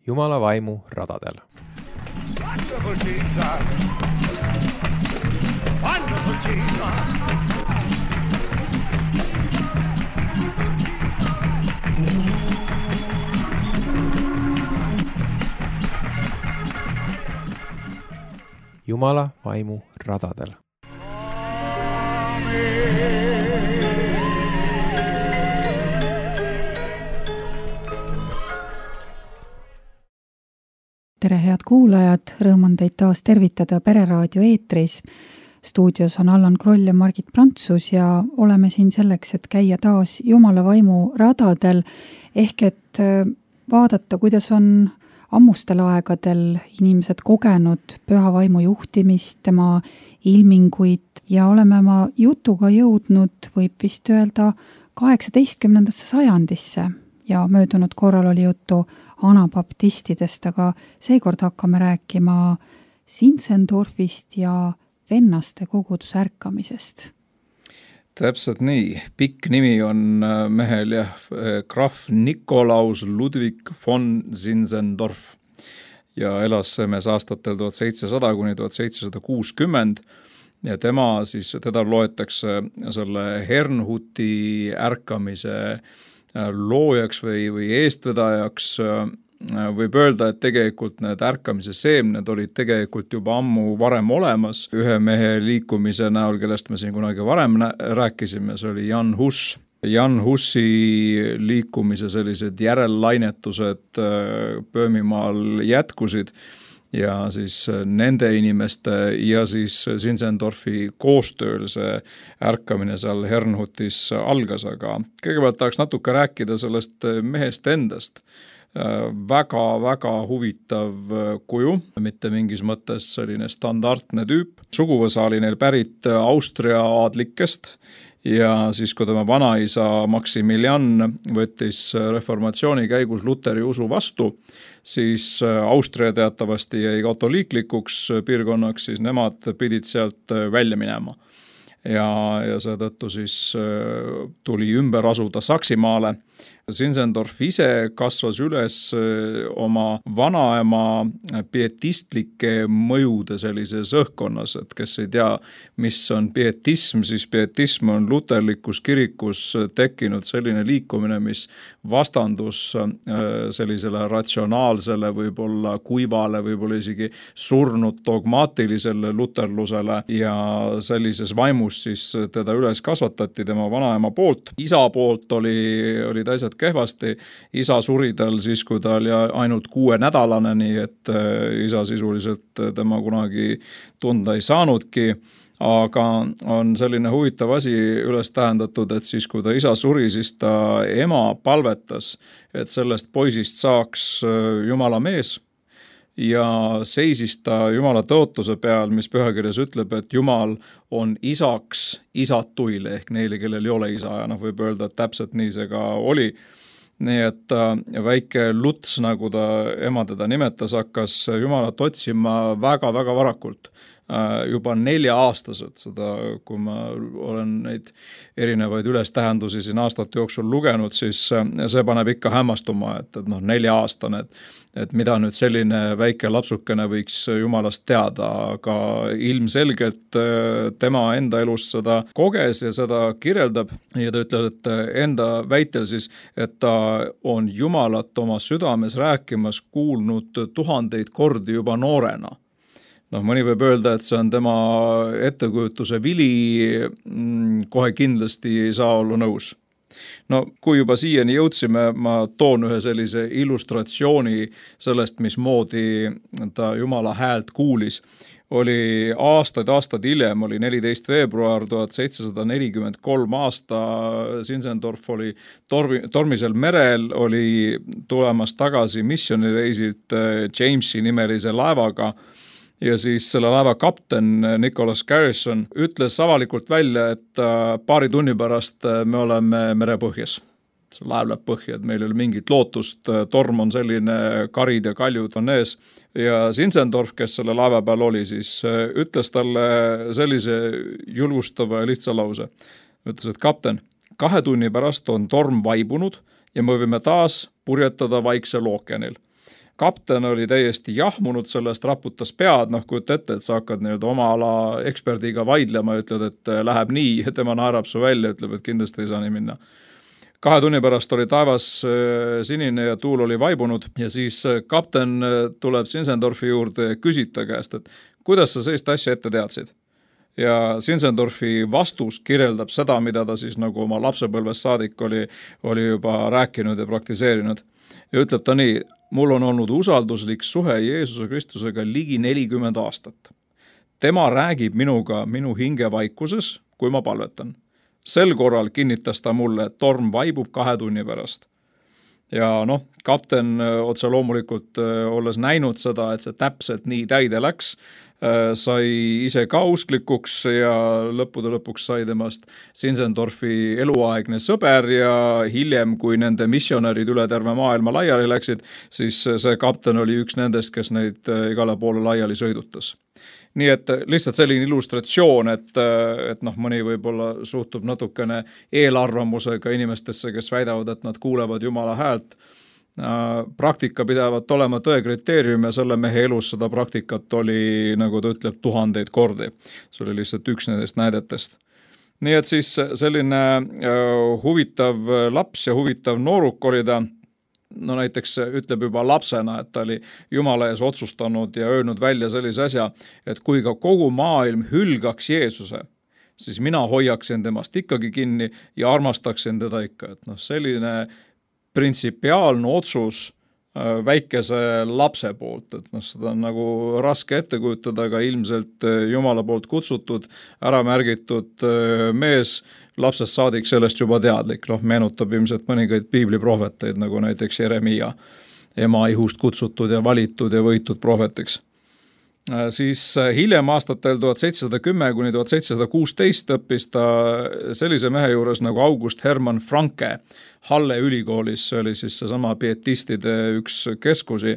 Jumala vaimu radadel. Wonderful Jesus! Wonderful Jesus! Jumala vaimu radadel. Tere head kuulajad, rõõm on teid taas tervitada Pereraadio eetris. Stuudios on Allan Kroll ja Margit Prantsus ja oleme siin selleks, et käia taas Jumala vaimu radadel, ehk et vaadata, kuidas on ammustel aegadel inimesed kogenud püha vaimu juhtimist, tema ilminguid ja oleme oma jutuga jõudnud, võib vist öelda, 18. sajandisse ja möödunud korral oli juttu anabaptistidest, aga seekord hakkame rääkima Zinzendorfist ja vennaste koguduse ärkamisest. Täpselt nii. Pikk nimi on mehel ja Graf Nikolaus Ludwig von Zinzendorf ja elas mees aastatel 1700 kuni 1760 ja teda loetakse selle Herrnhuti ärkamise loojaks või eestvedajaks. Võib öelda, et tegelikult need ärkamise seemned olid tegelikult juba ammu varem olemas. Ühe mehe liikumise näol, kellest me siin kunagi varem rääkisime, see oli Jan Hus. Jan Hussi liikumise sellised järellainetused Böömimaal jätkusid ja siis nende inimeste ja siis Zinzendorfi koostööl see ärkamine seal Herrnhutis algas, aga kõigepealt tahaks natuke rääkida sellest mehest endast. Väga huvitav kuju, mitte mingis mõttes selline standardne tüüp. Suguvõsa oli neil pärit Austria aadlikest ja siis, kui tema vanaisa Maximilian võttis reformatsiooni käigus Luteri usu vastu, siis Austria teatavasti jäi katoliiklikuks piirkonnaks, siis nemad pidid sealt välja minema. Ja seetõttu siis tuli ümber asuda Saksimaale. Zinzendorf ise kasvas üles oma vanaema pietistlike mõjude sellises õhkkonnas, et kes ei tea, mis on pietism, siis pietism on luterlikus kirikus tekkinud selline liikumine, mis vastandus sellisele ratsionaalsele, võib-olla kuivale, võib-olla isegi surnud dogmaatilisele luterlusele ja sellises vaimus siis teda üles kasvatati tema vanaema poolt. Isa poolt olid asjad kehvasti. Isa suri tal siis, kui ta oli ainult 6-nädalane, nii et isa sisuliselt tema kunagi tunda ei saanudki. Aga on selline huvitav asi üles tähendatud, et siis kui ta isa suri, siis ta ema palvetas, et sellest poisist saaks Jumala mees ja seisis ta Jumala tõotuse peal, mis pühakirjas ütleb, et Jumal on isaks isatuile ehk neile, kellel ei ole isa ja võib öelda, et täpselt nii see ka oli. Nii et väike Luts, nagu ta ema teda nimetas, hakkas Jumalat otsima väga varakult. Juba 4-aastased, seda kui ma olen neid erinevaid ülestähendusi siin aastate jooksul lugenud, siis see paneb ikka hämmastuma, et 4-aastane, et mida nüüd selline väike lapsukene võiks Jumalast teada, aga ilmselgelt tema enda elust seda koges ja seda kirjeldab ja ta ütleb, et enda väitel siis, et ta on Jumalat oma südames rääkimas kuulnud 1000 kordi juba noorena. Mõni võib öelda, et see on tema ettekujutuse vili, kohe kindlasti ei saa olla nõus. Kui juba siiani jõudsime, ma toon ühe sellise illustratsiooni sellest, mismoodi ta Jumala häält kuulis. Oli aastaid hiljem, oli 14. veebruar 1743 aasta, Zinzendorf oli tormisel merel, oli tulemas tagasi missioonireisilt Jamesi nimelise laevaga. Ja siis selle laeva kapten Nicholas Garrison ütles avalikult välja, et paari tunni pärast me oleme merepõhjas. See laev läheb põhja, et meil ei ole mingit lootust, torm on selline, karid ja kaljud on ees. Ja Zinzendorf, kes selle laeva peal oli, siis ütles talle sellise julgustava ja lihtsa lause. Ütles, et kapten, 2 tunni pärast on torm vaibunud ja me võime taas purjetada Vaiksel ookeanil. kapten oli täiesti jahmunud sellest, raputas pead, kujuta ette, et sa hakkad oma ala eksperdiga vaidlema ja ütled, et läheb nii, tema naerab su välja, ütleb, et kindlasti ei saa nii minna. 2 tunni pärast oli taevas sinine ja tuul oli vaibunud ja siis kapten tuleb Zinzendorfi juurde ja küsib ta käest, et kuidas sa sellist asja ette teadsid? Ja Zinzendorfi vastus kirjeldab seda, mida ta siis nagu oma lapsepõlvest saadik oli juba rääkinud ja praktiseerinud. Ja ütleb ta nii, mul on olnud usalduslik suhe Jeesuse Kristusega ligi 40 aastat. Tema räägib minuga minu hingevaikuses, kui ma palvetan. Sel korral kinnitas ta mulle, et torm vaibub 2 tunni pärast. Ja kapten otse loomulikult olles näinud seda, et see täpselt nii täide läks, sai ise ka usklikuks ja lõppude lõpuks sai temast Zinzendorfi eluaegne sõber ja hiljem, kui nende missionärid üle terve maailma laiali läksid, siis see kapten oli üks nendest, kes neid igale poole laiali sõidutas. Nii et lihtsalt selline illustratsioon, et mõni võib-olla suhtub natukene eelarvamusega inimestesse, kes väidavad, et nad kuulevad Jumala häält. Praktika pidavat olema tõe kriteerium ja selle mehe elus seda praktikat oli, nagu ta ütleb, 1000 kordi. See oli lihtsalt üks nendest näidetest. Nii et siis selline huvitav laps ja huvitav nooruk oli ta, näiteks ütleb juba lapsena, et ta oli Jumala ees otsustanud ja öelnud välja sellise asja, et kui ka kogu maailm hülgaks Jeesuse, siis mina hoiaksin temast ikkagi kinni ja armastaksin teda ikka. Et selline printsipiaalne otsus väikese lapse poolt, et seda on nagu raske ette kujutada, aga ilmselt Jumala poolt kutsutud, ära märgitud mees, lapsest saadik sellest juba teadlik, meenutab ilmselt mõningaid piibliprohveteid, nagu näiteks Jeremia, ema ihust kutsutud ja valitud ja võitud prohvetiks. Siis hiljem aastatel 1710 kuni 1716 õppis ta sellise mehe juures nagu August Hermann Franke Halle ülikoolis, see oli siis seesama pietistide üks keskusi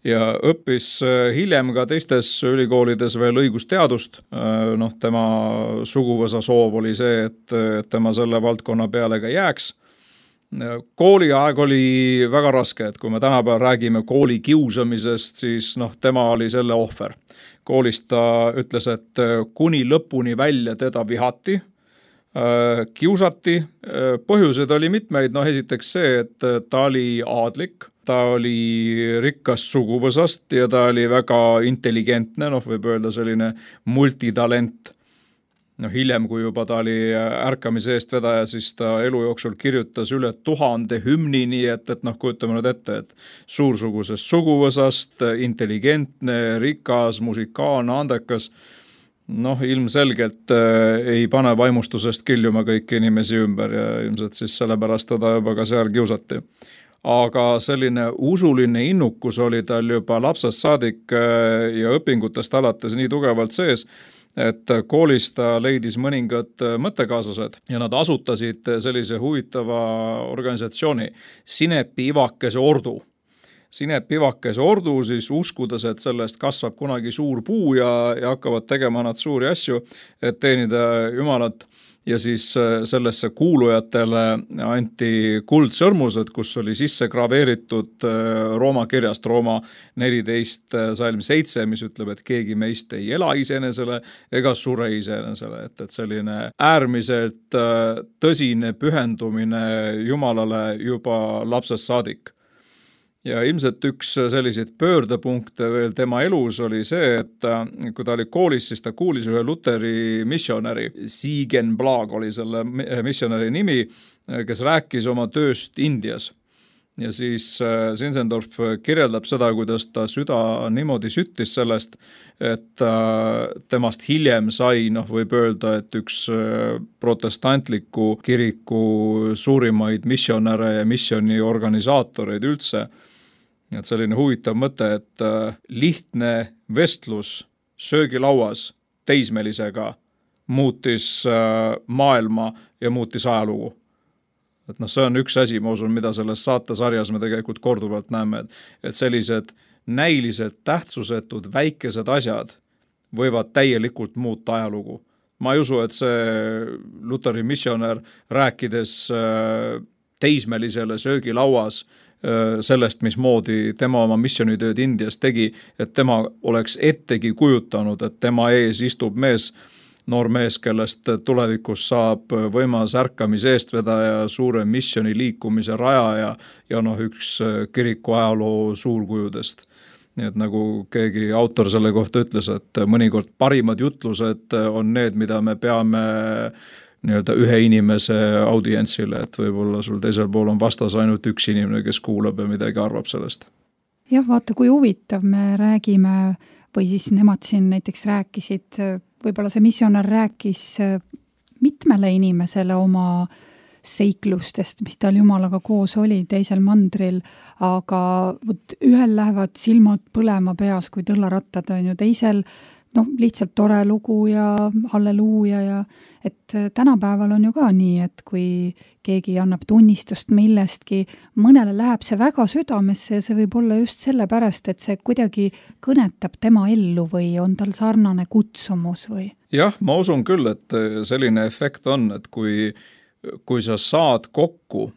ja õppis hiljem ka teistes ülikoolides veel õigusteadust. Tema suguvõsa soov oli see, et tema selle valdkonna peale ka jääks. Kooliaeg oli väga raske, et kui me tänapäeval räägime kooli kiusamisest, siis tema oli selle ohver. Koolist ta ütles, et kuni lõpuni välja teda vihati, kiusati. Põhjused oli mitmeid, esiteks see, et ta oli aadlik, ta oli rikkast suguvõsast ja ta oli väga intelligentne, võib öelda selline multitalent. Hiljem, kui juba ta oli ärkamise eest vedaja, siis ta elu jooksul kirjutas üle 1000 hümni, nii et kujutame nüüd ette, et suursugusest suguvõsast, intelligentne, rikas, musikaalne, andekas, ilmselgelt ei pane vaimustusest kiljuma kõiki inimesi ümber ja ilmselt siis sellepärast teda juba ka seal kiusati. Aga selline usuline innukus oli tal juba lapsest saadik ja õpingutest alates nii tugevalt sees, et koolis ta leidis mõningad mõttekaaslased ja nad asutasid sellise huvitava organisatsiooni Sinepi Ivakese ordu. Sinepi Ivakese ordu siis uskudes, et sellest kasvab kunagi suur puu ja hakkavad tegema nad suuri asju, et teenida Jumalat. Ja siis sellesse kuulujatele anti kuldsõrmused, kus oli sisse graveeritud Rooma kirjast Rooma 14 salm 7, mis ütleb, et keegi meist ei ela iseenesele ega sure iseenesele. Et selline äärmiselt tõsine pühendumine Jumalale juba lapsest saadik. Ja ilmselt üks selliseid pöördepunkte veel tema elus oli see, et kui ta oli koolis, siis ta kuulis ühe Luteri missionäri, Siegen Blag oli selle missionäri nimi, kes rääkis oma tööst Indias. Ja siis Zinzendorf kirjeldab seda, kuidas ta süda niimoodi süttis sellest, et temast hiljem sai, võib öelda, et üks protestantliku kiriku suurimaid missionäre ja missioni organisaatoreid üldse. Et selline huvitav mõte, et lihtne vestlus söögilauas teismelisega muutis maailma ja muutis ajalugu. Et see on üks asi, ma usun, mida selles saatesarjas me tegelikult korduvalt näeme, et sellised näiliselt tähtsusetud väikesed asjad võivad täielikult muuta ajalugu. Ma ei usu, et see Luteri missionär rääkides teismelisele söögilauas sellest, mismoodi tema oma missioonitööd Indias tegi, et tema oleks ettegi kujutanud, et tema ees istub noor mees, kellest tulevikus saab võimas ärkamise eestvedaja, suure missiooni liikumise rajaja ja üks kiriku ajaloo suurkujudest. Nii et nagu keegi autor selle kohta ütles, et mõnikord parimad jutlused on need, mida me peame nii-öelda ühe inimese audientsile, et võib-olla sul teisel pool on vastas ainult üks inimene, kes kuulab ja midagi arvab sellest. Jah, vaata, kui huvitav me räägime või siis nemad siin näiteks rääkisid, võib-olla see missionär rääkis mitmele inimesele oma seiklustest, mis tal Jumalaga koos oli teisel mandril, aga ühel lähevad silmad põlema peas, kui tõllarattad on ju, teisel lihtsalt tore lugu ja halleluuja ja et tänapäeval on ju ka nii, et kui keegi annab tunnistust millestki, mõnele läheb see väga südamesse ja see võib olla just sellepärast, et see kuidagi kõnetab tema ellu või on tal sarnane kutsumus või? Jah, ma usun küll, et selline efekt on, et kui sa saad kokku,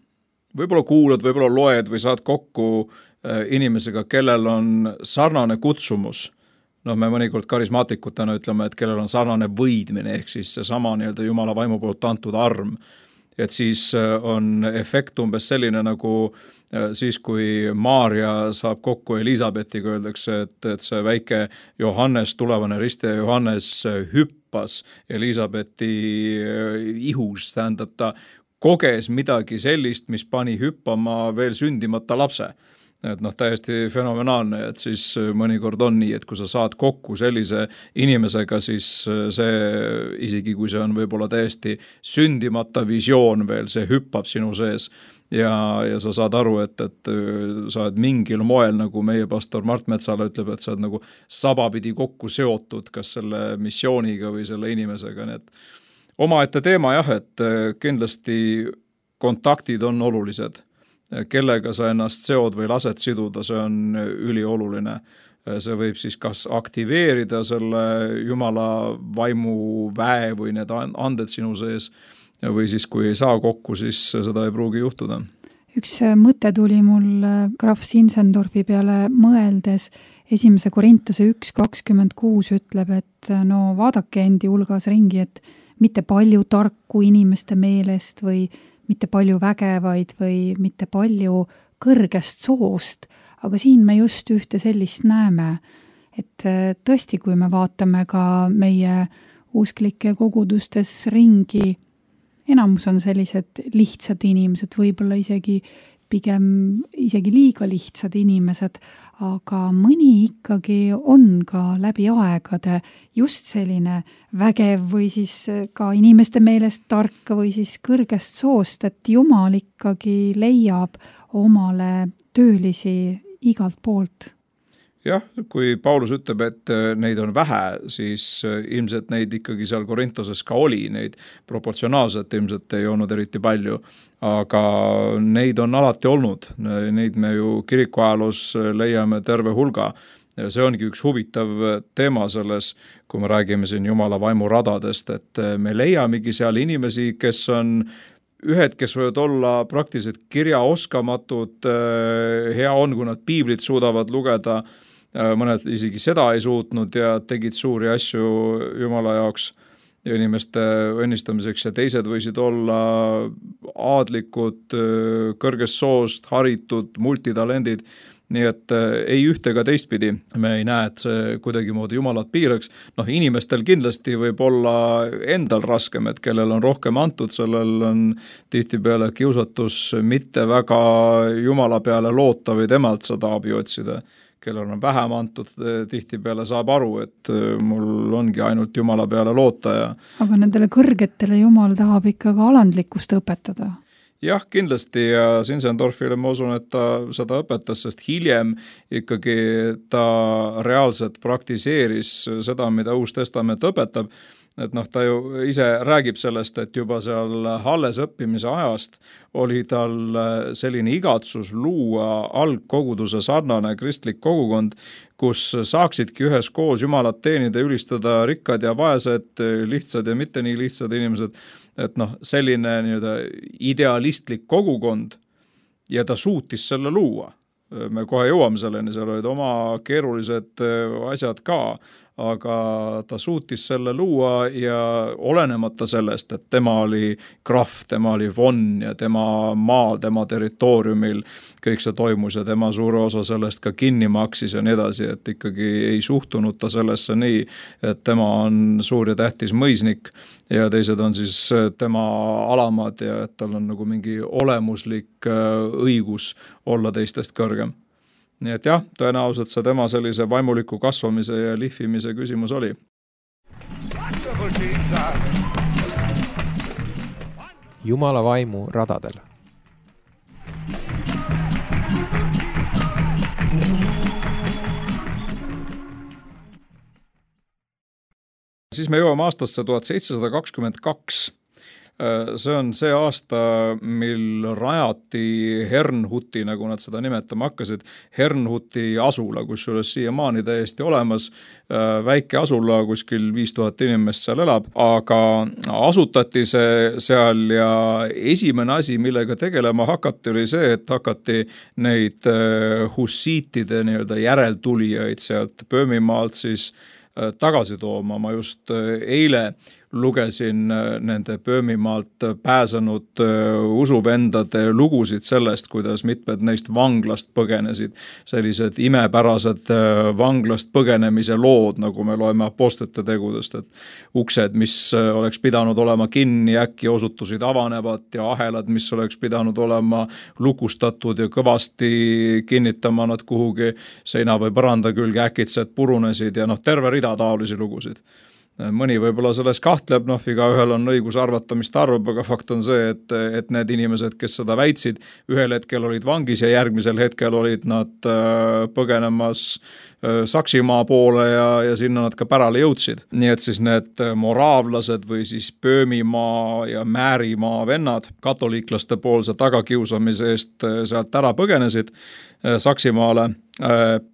võib-olla kuulad, võib-olla loed või saad kokku inimesega, kellel on sarnane kutsumus, me mõnikord karismaatikutena ütleme, et kellel on sarnane võidmine, ehk siis see sama nii-öelda Jumala vaimu poolt antud arm. Et siis on efekt umbes selline nagu siis, kui Maarja saab kokku Elisabetiga, öeldakse, et see väike Johannes, tulevane ristija Johannes hüppas Elisabeti ihus, tähendab ta koges midagi sellist, mis pani hüppama veel sündimata lapse. Et täiesti fenomenaalne, et siis mõnikord on nii, et kui sa saad kokku sellise inimesega, siis see, isegi kui see on võib-olla täiesti sündimata visioon veel, see hüppab sinu sees ja sa saad aru, et sa oled mingil moel, nagu meie pastor Mart Metsala ütleb, et sa oled nagu sabapidi kokku seotud kas selle missiooniga või selle inimesega, nii et omaette teema jah, et kindlasti kontaktid on olulised. Kellega sa ennast seod või lased siduda, see on ülioluline. See võib siis kas aktiveerida selle Jumala vaimu väe või need anded sinu sees või siis kui ei saa kokku, siis seda ei pruugi juhtuda. Üks mõte tuli mul Graf Zinzendorfi peale mõeldes. 1. Korintuse 1.26 ütleb, et vaadake endi hulgas ringi, et mitte palju tarku inimeste meelest või mitte palju vägevaid või mitte palju kõrgest soost, aga siin me just ühte sellist näeme, et tõesti, kui me vaatame ka meie usklike kogudustes ringi, enamus on sellised lihtsad inimesed, võib-olla pigem isegi liiga lihtsad inimesed, aga mõni ikkagi on ka läbi aegade just selline vägev või siis ka inimeste meelest tark või siis kõrgest soost, et Jumal ikkagi leiab omale töölisi igalt poolt. Jah, kui Paulus ütleb, et neid on vähe, siis ilmselt neid ikkagi seal Korintoses ka oli, neid proportsionaalselt ilmselt ei olnud eriti palju, aga neid on alati olnud, neid me ju kirikuajaloos leiame terve hulga. See ongi üks huvitav teema selles, kui me räägime siin Jumala vaimu radadest, et me leiamegi seal inimesi, kes on ühed, kes võivad olla praktiliselt kirjaoskamatud, hea on, kui nad piiblit suudavad lugeda, mõned isegi seda ei suutnud ja tegid suuri asju Jumala jaoks ja inimeste õnnistamiseks ja teised võisid olla aadlikud, kõrgest soost, haritud, multitalendid, nii et ei ühte ega teistpidi. Me ei näe, et see kuidagi moodi Jumalat piiraks. Inimestel kindlasti võib olla endal raskem, et kellel on rohkem antud, sellel on tihtipeale kiusatus mitte väga Jumala peale loota või temalt seda abi otsida. Kellel on vähem antud, tihtipeale saab aru, et mul ongi ainult Jumala peale loota. Aga nendele kõrgetele Jumal tahab ikka ka alandlikkust õpetada. Jah, kindlasti ja Zinzendorfile ma usun, et ta seda õpetas, sest hiljem ikkagi ta reaalselt praktiseeris seda, mida Uus Testament õpetab. Et ta ju ise räägib sellest, et juba seal alles õppimise ajast oli tal selline igatsus luua algkoguduse sarnane kristlik kogukond, kus saaksidki ühes koos Jumalat teenida, ülistada rikkad ja vaesed, lihtsad ja mitte nii lihtsad inimesed, et selline nii-öelda idealistlik kogukond. ja ta suutis selle luua. Me kohe jõuame selleni, seal olid oma keerulised asjad ka, aga ta suutis selle luua ja olenemata sellest, et tema oli krahv, tema oli von ja tema maal, tema territooriumil kõik see toimus ja tema suure osa sellest ka kinni maksis ja nii edasi, et ikkagi ei suhtunud ta sellesse nii, et tema on suur ja tähtis mõisnik ja teised on siis tema alamad ja et tal on nagu mingi olemuslik õigus olla teistest kõrgem. Nii et jah, tõenäoliselt see tema sellise vaimuliku kasvamise ja lihvimise küsimus oli. Jumala vaimu radadel. Siis me jõuame aastasse 1722. See on see aasta, mil rajati Herrnhuti, nagu nad seda nimetama hakkasid, Herrnhuti asula, kus üles siiamaani täiesti olemas, väike asula, kuskil 5000 inimest seal elab, aga asutati see seal ja esimene asi, millega tegelema hakati, oli see, et hakati neid hussiitide nii-öelda järeltulijaid sealt Böömimaalt siis tagasi tooma. Ma just eile lugesin nende Böömimaalt pääsenud usuvendade lugusid sellest, kuidas mitmed neist vanglast põgenesid. Sellised imepärased vanglast põgenemise lood, nagu me loeme apostlite tegudest, et uksed, mis oleks pidanud olema kinni, äkki osutusid avanevat ja ahelad, mis oleks pidanud olema lukustatud ja kõvasti kinnitama nad kuhugi seina või põranda külge äkitselt purunesid ja terve rida taolisi lugusid. Mõni võib-olla selles kahtleb, iga ühel on õigus arvata, mis ta arvab, aga fakt on see, et need inimesed, kes seda väitsid, ühel hetkel olid vangis ja järgmisel hetkel olid nad põgenemas Saksimaa poole ja sinna nad ka pärale jõudsid. Nii et siis need moraavlased või siis Böömimaa ja Määrimaa vennad katoliiklaste poolse tagakiusamise eest sealt ära põgenesid Saksimaale.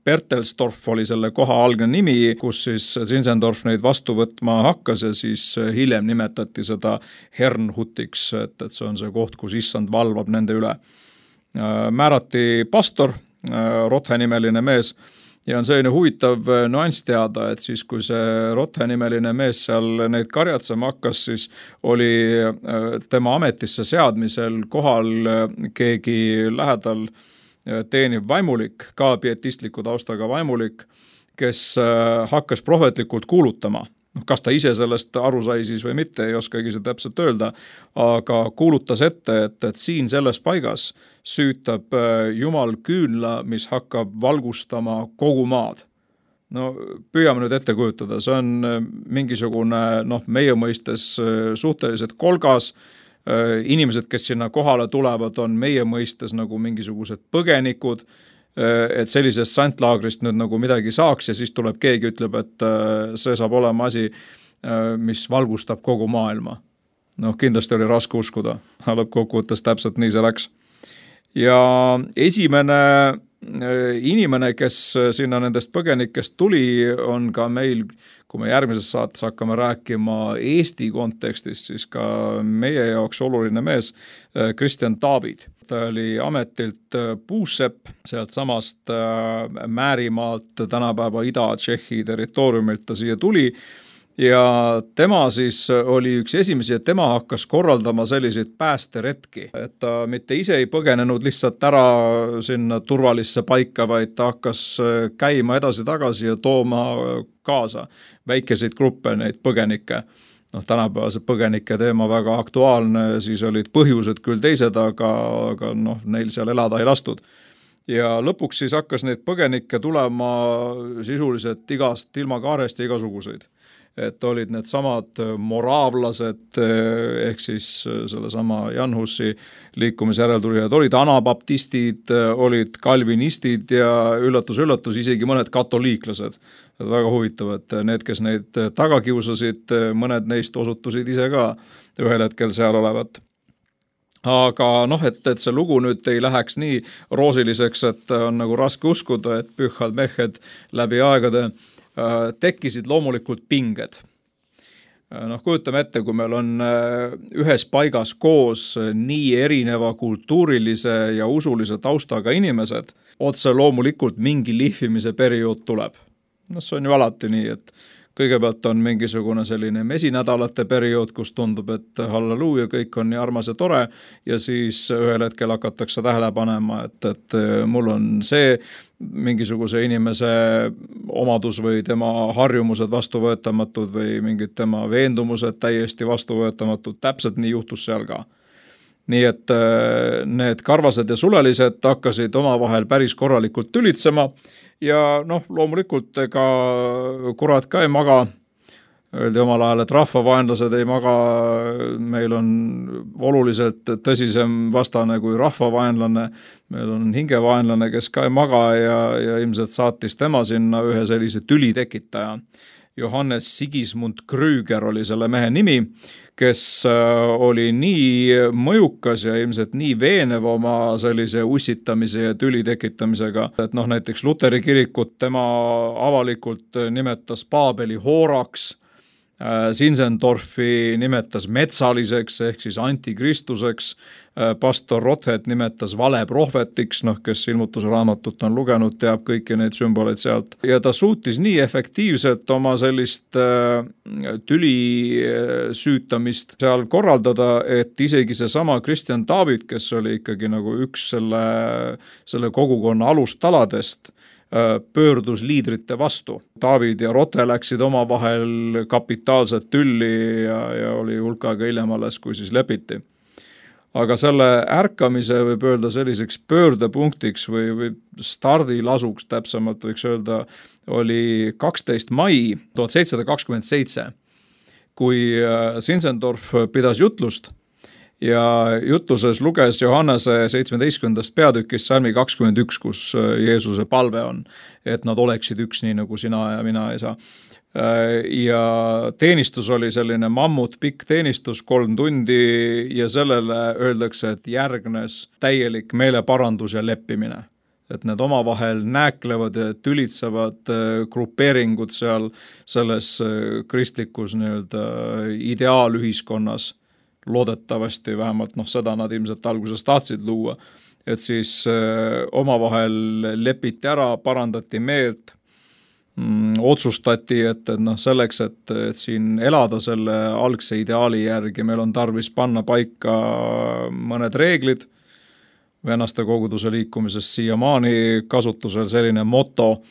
Bertelsdorf oli selle koha algne nimi, kus siis Zinzendorf neid vastu võtma hakkas ja siis hiljem nimetati seda Herrnhutiks, et see on see koht, kus issand valvab nende üle. Määrati pastor, Rothe-nimeline mees, ja on selline huvitav nüanss teada, et siis kui see Rothe-nimeline mees seal neid karjatsema hakkas, siis oli tema ametisse seadmisel kohal keegi lähedal teeniv vaimulik, ka pietistliku taustaga vaimulik, kes hakkas prohvetlikult kuulutama. Kas ta ise sellest aru sai siis või mitte, ei oskagi see täpselt öelda, aga kuulutas ette, et siin selles paigas süütab Jumal küünla, mis hakkab valgustama kogu maad. Püüame nüüd ette kujutada, see on mingisugune meie mõistes suhteliselt kolgas. Inimesed, kes sinna kohale tulevad, on meie mõistes nagu mingisugused põgenikud, et sellisest santlaagrist nüüd nagu midagi saaks ja siis tuleb keegi ütleb, et see saab olema asi, mis valgustab kogu maailma. Kindlasti oli raske uskuda, lõppkokkuvõttes täpselt nii see läks. Ja esimene inimene, kes sinna nendest põgenikest tuli, on ka meil, kui me järgmises saates hakkame rääkima Eesti kontekstis, siis ka meie jaoks oluline mees, Kristjan Taavid. Ta oli ametilt puussepp, sealt samast Määrimaalt, tänapäeva Ida-Tšehhi territooriumilt ta siia tuli. Ja tema siis oli üks esimesi, et tema hakkas korraldama selliseid päästeretki, et ta mitte ise ei põgenenud lihtsalt ära sinna turvalisse paika, vaid ta hakkas käima edasi-tagasi ja tooma kaasa väikeseid gruppe, neid põgenikke. Tänapäevase põgenike teema väga aktuaalne, siis olid põhjused küll teised, aga neil seal elada ei lastud. Ja lõpuks siis hakkas neid põgenikke tulema sisuliselt igast ilmakaarest ja igasuguseid. Et olid need samad moraavlased ehk siis sellesama Jan Hussi liikumise järeltulijad, olid anabaptistid, olid kalvinistid ja üllatus, isegi mõned katoliiklased. Väga huvitav, et need, kes neid taga kiusasid, mõned neist osutusid ise ka ühel hetkel seal olevat. Aga et see lugu nüüd ei läheks nii roosiliseks, et on nagu raske uskuda, et pühhad mehed läbi aegade tekkisid loomulikult pinged. Kujutame ette, kui meil on ühes paigas koos nii erineva kultuurilise ja usulise taustaga inimesed, otse loomulikult mingi lihvimise periood tuleb. See on ju alati nii, et kõigepealt on mingisugune selline mesinädalate periood, kus tundub, et halleluuja, kõik on nii armas ja tore ja siis ühel hetkel hakatakse tähele panema, et mul on see mingisuguse inimese omadus või tema harjumused vastuvõetamatud või mingid tema veendumused täiesti vastuvõetamatud. Täpselt nii juhtus seal ka. Nii et need karvased ja sulelised hakkasid omavahel päris korralikult tülitsema ja loomulikult ega kurat ka ei maga. Öeldi omal ajal, et rahvavaenlased ei maga, meil on oluliselt tõsisem vastane kui rahvavaenlane, meil on hingevaenlane, kes ka ei maga ja ilmselt saatis tema sinna ühe sellise tüli tekitaja. Johannes Sigismund Krüger oli selle mehe nimi, kes oli nii mõjukas ja ilmselt nii veenev oma sellise ussitamise ja tüli tekitamisega, et näiteks Luteri kirikut tema avalikult nimetas Paabeli hooraks, Zinzendorfi nimetas metsaliseks ehk siis antikristuseks, pastor Rothet nimetas valeprohvetiks, kes ilmutusraamatut on lugenud, teab kõiki neid sümboleid sealt. Ja ta suutis nii efektiivselt oma sellist tüli süütamist seal korraldada, et isegi see sama Kristjan David, kes oli ikkagi nagu üks selle kogukonna alustaladest, pöördus liidrite vastu. David ja Rote läksid omavahel kapitaalset tülli ja oli hulkaga hiljem alles, kui siis lepiti. Aga selle ärkamise võib öelda selliseks pöördepunktiks või stardilasuks täpsemalt võiks öelda, oli 12. mai 1727, kui Zinzendorf pidas jutlust ja jutluses luges Johannese 17. peatükis salmi 21, kus Jeesuse palve on, et nad oleksid üks nii nagu sina ja mina ei saa. Ja teenistus oli selline mammut, pikk teenistus, 3 tundi ja sellele öeldakse, et järgnes täielik meeleparandus ja leppimine. Et need omavahel nääklevad ja tülitsevad grupeeringud seal selles kristlikus ideaalühiskonnas, loodetavasti vähemalt seda nad ilmselt alguses tahtsid luua, et siis omavahel lepiti ära, parandati meelt, otsustati, et selleks, et siin elada selle algse ideaali järgi, meil on tarvis panna paika mõned reeglid. Vennaste koguduse liikumises siiamaani kasutusel selline moto,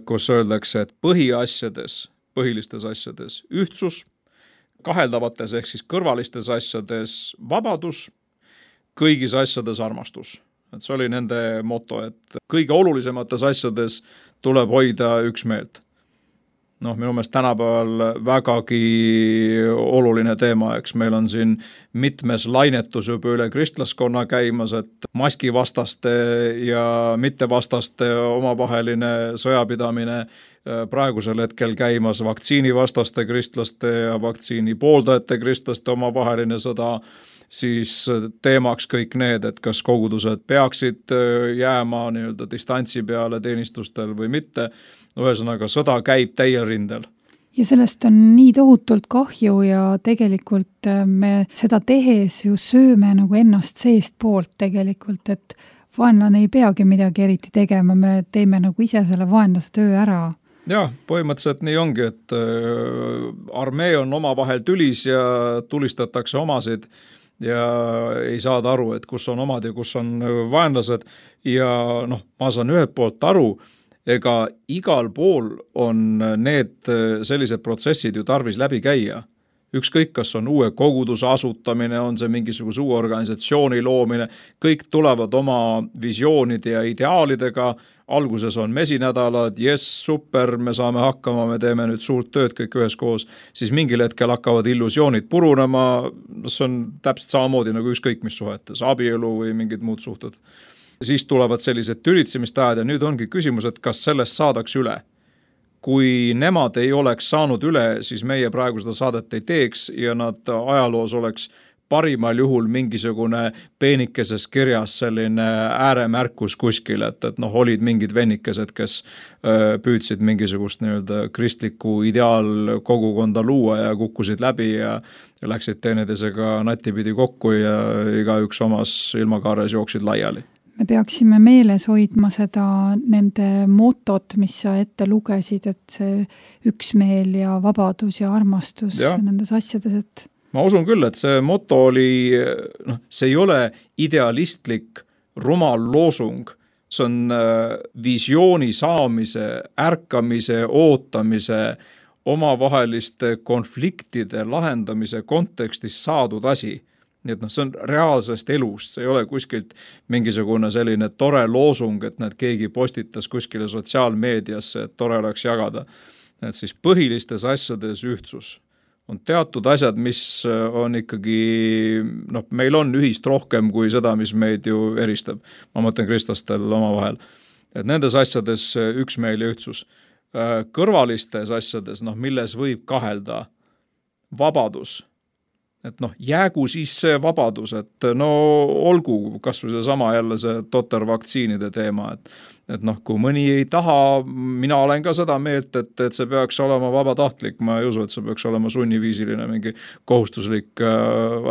kus öeldakse, et põhilistes asjades ühtsus, kaheldavates ehk siis kõrvalistes asjades vabadus, kõigis asjades armastus. Et see oli nende moto, et kõige olulisemates asjades tuleb hoida üksmeelt. Minu meelest tänapäeval vägagi oluline teema, eks meil on siin mitmes lainetus juba üle kristlaskonna käimas, et maskivastaste ja mittevastaste omavaheline sõjapidamine, praegusel hetkel käimas vaktsiinivastaste kristlaste ja vaktsiini pooldajate kristlaste omavaheline sõda, siis teemaks kõik need, et kas kogudused peaksid jääma distantsi peale teenistustel või mitte. Ühesõnaga, sõda käib täiel rindel. Ja sellest on nii tohutult kahju ja tegelikult me seda tehes ju sööme nagu ennast seest poolt tegelikult, et vaenlane ei peagi midagi eriti tegema, me teeme nagu ise selle vaenlase töö ära. Jah, põhimõtteliselt nii ongi, et armee on omavahel tülis ja tulistatakse omasid ja ei saada aru, et kus on omad ja kus on vaenlased ja ma saan ühelt poolt aru, ega igal pool on need sellised protsessid ju tarvis läbi käia. Ükskõik, kas on uue koguduse asutamine, on see mingisuguse uue organisatsiooni loomine, kõik tulevad oma visioonide ja ideaalidega, alguses on mesinädalad, super, me saame hakkama, me teeme nüüd suurt tööd kõik üheskoos, siis mingil hetkel hakkavad illusioonid purunema, see on täpselt samamoodi nagu ükskõik mis suhetes, abielu või mingid muud suhted. Siis tulevad sellised tülitsemist ajad ja nüüd ongi küsimus, et kas sellest saadaks üle. Kui nemad ei oleks saanud üle, siis meie praegu seda saadet ei teeks ja nad ajaloos oleks parimal juhul mingisugune peenikeses kirjas selline ääremärkus kuskil, et noh, olid mingid vennikesed, kes püüdsid mingisugust nii-öelda kristlikku ideaalkogukonda luua ja kukkusid läbi ja läksid teineteisega natipidi kokku ja igaüks omas ilmakaares jooksid laiali. Me peaksime meeles hoidma seda nende motot, mis sa ette lugesid, et see üksmeel ja vabadus ja armastus nendes asjades, et ma usun küll, et see moto oli, noh, see ei ole idealistlik rumal loosung, see on visiooni saamise, ärkamise, ootamise, omavaheliste konfliktide lahendamise kontekstis saadud asi. Nii et noh, see on reaalsest elust, see ei ole kuskilt mingisugune selline tore loosung, et need keegi postitas kuskile sotsiaalmeediasse, et tore oleks jagada. Et siis põhilistes asjades ühtsus. On teatud asjad, mis on ikkagi, noh, meil on ühist rohkem kui seda, mis meid ju eristab. Ma mõtlen kristlastel oma vahel. Et nendes asjades üksmeel ja ühtsus. Kõrvalistes asjades, noh, milles võib kahelda vabadus. Et noh, jäägu siis see vabadus, et no olgu kas või see sama jälle see totter vaktsiinide teema, et noh, kui mõni ei taha, mina olen ka seda meelt, et see peaks olema vabatahtlik, ma ei usu, et see peaks olema sunniviisiline mingi kohustuslik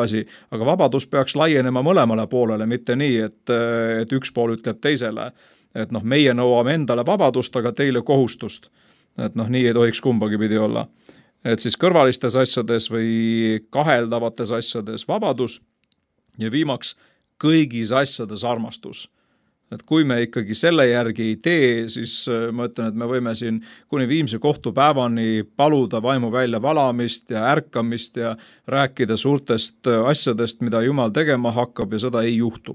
asi, aga vabadus peaks laienema mõlemale poolele, mitte nii, et üks pool ütleb teisele, et noh, meie nõuame endale vabadust, aga teile kohustust, et noh, nii ei tohiks kumbagi pidi olla. Et siis kõrvalistes asjades või kaheldavates asjades vabadus ja viimaks kõigis asjades armastus. Et kui me ikkagi selle järgi ei tee, siis ma ütlen, et me võime siin kuni viimse kohtupäevani paluda vaimu välja valamist ja ärkamist ja rääkida suurtest asjadest, mida Jumal tegema hakkab ja seda ei juhtu.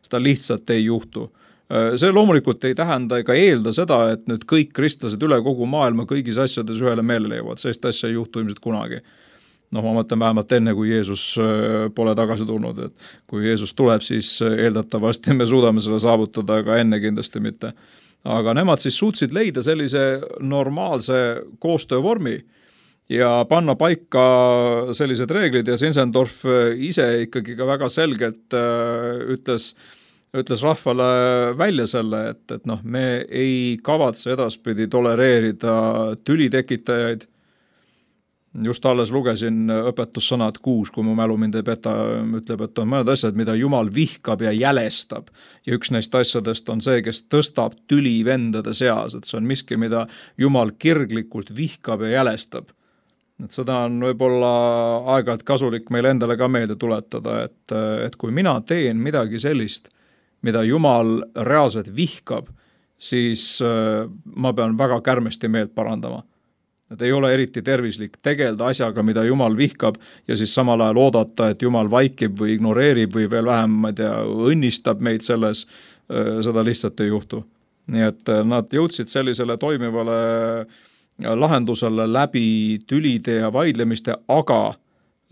Seda lihtsalt ei juhtu. See loomulikult ei tähenda ega eelda seda, et nüüd kõik kristlased üle kogu maailma kõigis asjades ühele meelele jõuavad. Sellist asja ei juhtu ilmselt kunagi. Noh, ma mõtlen vähemalt enne, kui Jeesus pole tagasi tulnud. Et kui Jeesus tuleb, siis eeldatavasti me suudame selle saavutada, aga enne kindlasti mitte. Aga nemad siis suutsid leida sellise normaalse koostöövormi ja panna paika sellised reeglid ja Zinzendorf ise ikkagi ka väga selgelt ütles rahvale välja selle, et noh, me ei kavatse edaspidi tolereerida tülitekitajaid. Just alles lugesin õpetussõnad 6, kui mu mälu mind ei peta, ütleb, et on mõned asjad, mida Jumal vihkab ja jälestab. Ja üks neist asjadest on see, kes tõstab tüli vendade seas, et see on miski, mida Jumal kirglikult vihkab ja jälestab. Et seda on võib-olla aeg-ajalt kasulik meil endale ka meelde tuletada, et kui mina teen midagi sellist, mida Jumal reaalselt vihkab, siis ma pean väga kärmesti meelt parandama. Et ei ole eriti tervislik tegelda asjaga, mida Jumal vihkab ja siis samal ajal oodata, et Jumal vaikib või ignoreerib või veel vähem, ma ei tea, õnnistab meid selles, seda lihtsalt ei juhtu. Nii et nad jõudsid sellisele toimivale lahendusele läbi tülide ja vaidlemiste, aga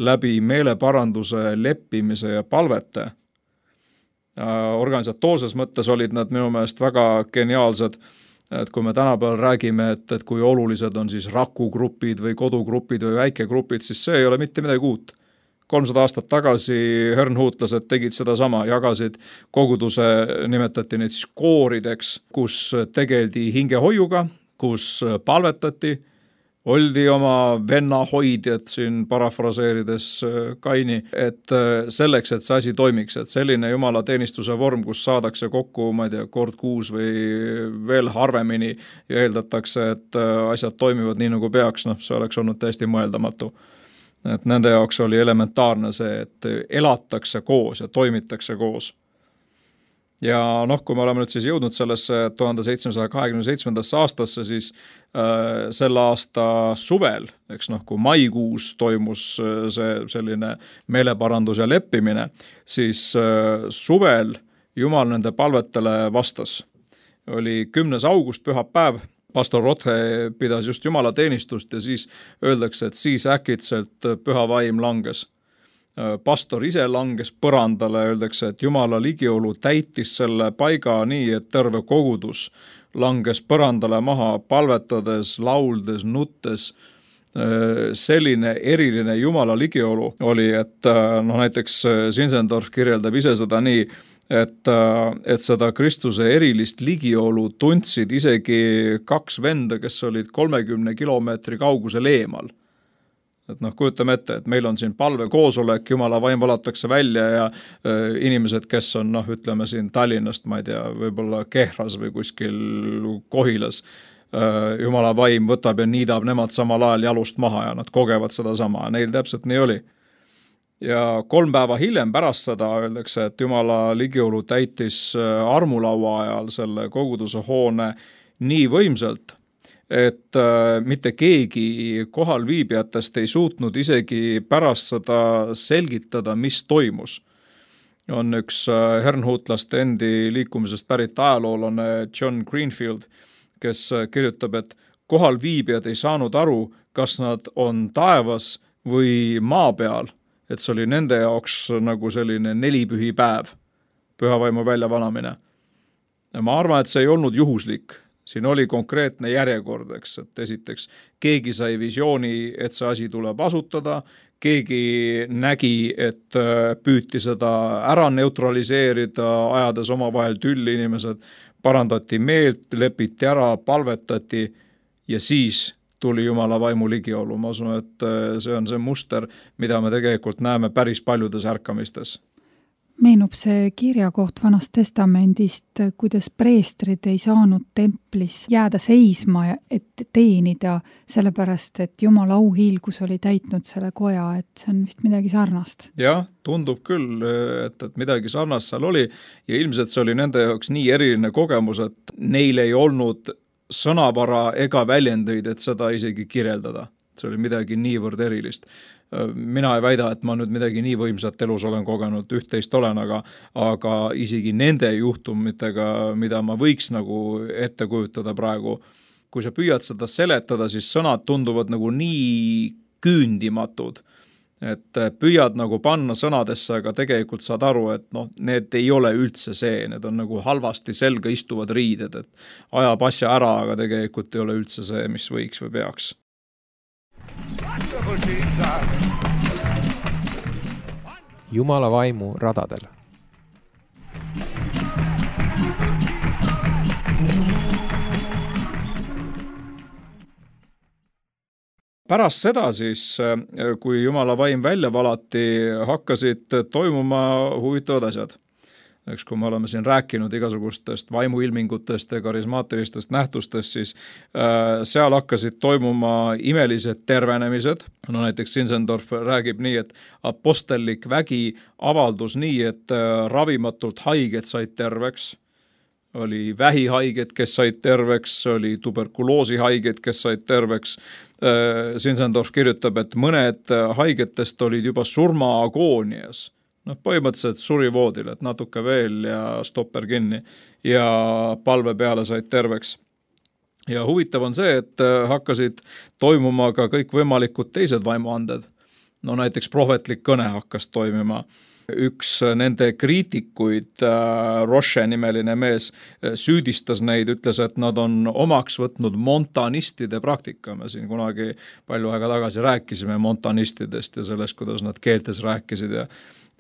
läbi meeleparanduse, leppimise ja palvete. Organisatoorses mõttes olid nad minu meelest väga geniaalsed, et kui me tänapäeval räägime, et kui olulised on siis rakugrupid või kodugrupid või väikegrupid, siis see ei ole mitte midagi uut. 300 aastat tagasi hernhuutlased tegid seda sama, jagasid koguduse, nimetati neid siis koorideks, kus tegeldi hingehoiuga, kus palvetati, oldi oma venna hoidjad siin parafraseerides Kaini, et selleks, et see asi toimiks, et selline Jumala teenistuse vorm, kus saadakse kokku, ma ei tea, kord kuus või veel harvemini ja eeldatakse, et asjad toimivad nii nagu peaks, noh, see oleks olnud täiesti mõeldamatu. Et nende jaoks oli elementaarne see, et elatakse koos ja toimitakse koos. Ja noh, kui me oleme nüüd siis jõudnud sellesse 1727. aastasse, siis selle aasta suvel, eks noh, kui maikuus toimus see selline meeleparandus ja leppimine, siis suvel Jumal nende palvetele vastas. Oli 10. august pühapäev, pastor Rothe pidas just Jumala teenistust ja siis öeldakse, et siis äkitselt püha vaim langes. Pastor ise langes põrandale, öeldakse, et Jumala ligiolu täitis selle paiga nii, et terve kogudus langes põrandale maha, palvetades, lauldes, nuttes selline eriline Jumala ligiolu oli, et näiteks Zinzendorf kirjeldab ise seda nii, et seda Kristuse erilist ligiolu tundsid isegi 2 venda, kes olid 30 kilomeetri kaugusel eemal. Et kujutame ette, et meil on siin palvekoosolek, Jumala vaim valatakse välja ja inimesed, kes on, ütleme siin Tallinnast, ma ei tea, võib-olla Kehras või kuskil Kohilas, Jumala vaim võtab ja niidab nemad samal ajal jalust maha ja nad kogevad seda sama. Neil täpselt nii oli. Ja 3 päeva hiljem pärast seda öeldakse, et Jumala ligiolu täitis armulaua ajal selle koguduse hoone nii võimsalt, et mitte keegi kohal viibijatest ei suutnud isegi pärast seda selgitada, mis toimus. On üks Herrnhutlaste endi liikumisest pärit ajaloolane John Greenfield, kes kirjutab, et kohal viibijad ei saanud aru, kas nad on taevas või maa peal, et see oli nende jaoks nagu selline 4 pühipäev, pühavaimu väljavalamine. Ja ma arvan, et see ei olnud juhuslik. Siin oli konkreetne järjekord, et esiteks keegi sai visiooni, et see asi tuleb asutada, keegi nägi, et püüti seda ära neutraliseerida, ajades omavahel tülli inimesed, parandati meelt, lepiti ära, palvetati ja siis tuli Jumala vaimu ligiolu. Ma usun, et see on see muster, mida me tegelikult näeme päris paljudes ärkamistes. Meenub see kirjakoht Vanast Testamendist, kuidas preestrid ei saanud templis jääda seisma, et teenida, sellepärast, et Jumala auhiilgus oli täitnud selle koja, et see on vist midagi sarnast. Jah, tundub küll, et midagi sarnast seal oli ja ilmselt see oli nende jaoks nii eriline kogemus, et neil ei olnud sõnavara ega väljendeid, et seda isegi kirjeldada. See oli midagi niivõrd erilist. Mina ei väida, et ma nüüd midagi nii võimsat elus olen kogenud, üht-teist olen, aga isegi nende juhtumitega, mida ma võiks nagu ette kujutada praegu, kui sa püüad seda seletada, siis sõnad tunduvad nagu nii küündimatud, et püüad nagu panna sõnadesse, aga tegelikult saad aru, et need ei ole üldse see, need on nagu halvasti selga istuvad riided, et ajab asja ära, aga tegelikult ei ole üldse see, mis võiks või peaks. Jumala vaimu radadel. Pärast seda siis, kui Jumala vaim välja valati, hakkasid toimuma huvitavad asjad. Kui me oleme siin rääkinud igasugustest vaimuilmingutest ja karismaatilistest nähtustest, siis seal hakkasid toimuma imelised tervenemised. Näiteks Zinzendorf räägib nii, et apostellik vägi avaldus nii, et ravimatult haiged said terveks. Oli vähihaiged, kes said terveks, oli tuberkuloosihaiged, kes said terveks. Zinzendorf kirjutab, et mõned haigetest olid juba surmaagoonias. Põhimõtteliselt suri voodil, et natuke veel ja stopper kinni ja palve peale said terveks. Ja huvitav on see, et hakkasid toimuma ka kõik võimalikud teised vaimuanded. Näiteks prohvetlik kõne hakkas toimima. Üks nende kriitikuid, Roche nimeline mees, süüdistas neid, ütles, et nad on omaks võtnud montanistide praktika. Me siin kunagi palju aega tagasi rääkisime montanistidest ja sellest, kuidas nad keeltes rääkisid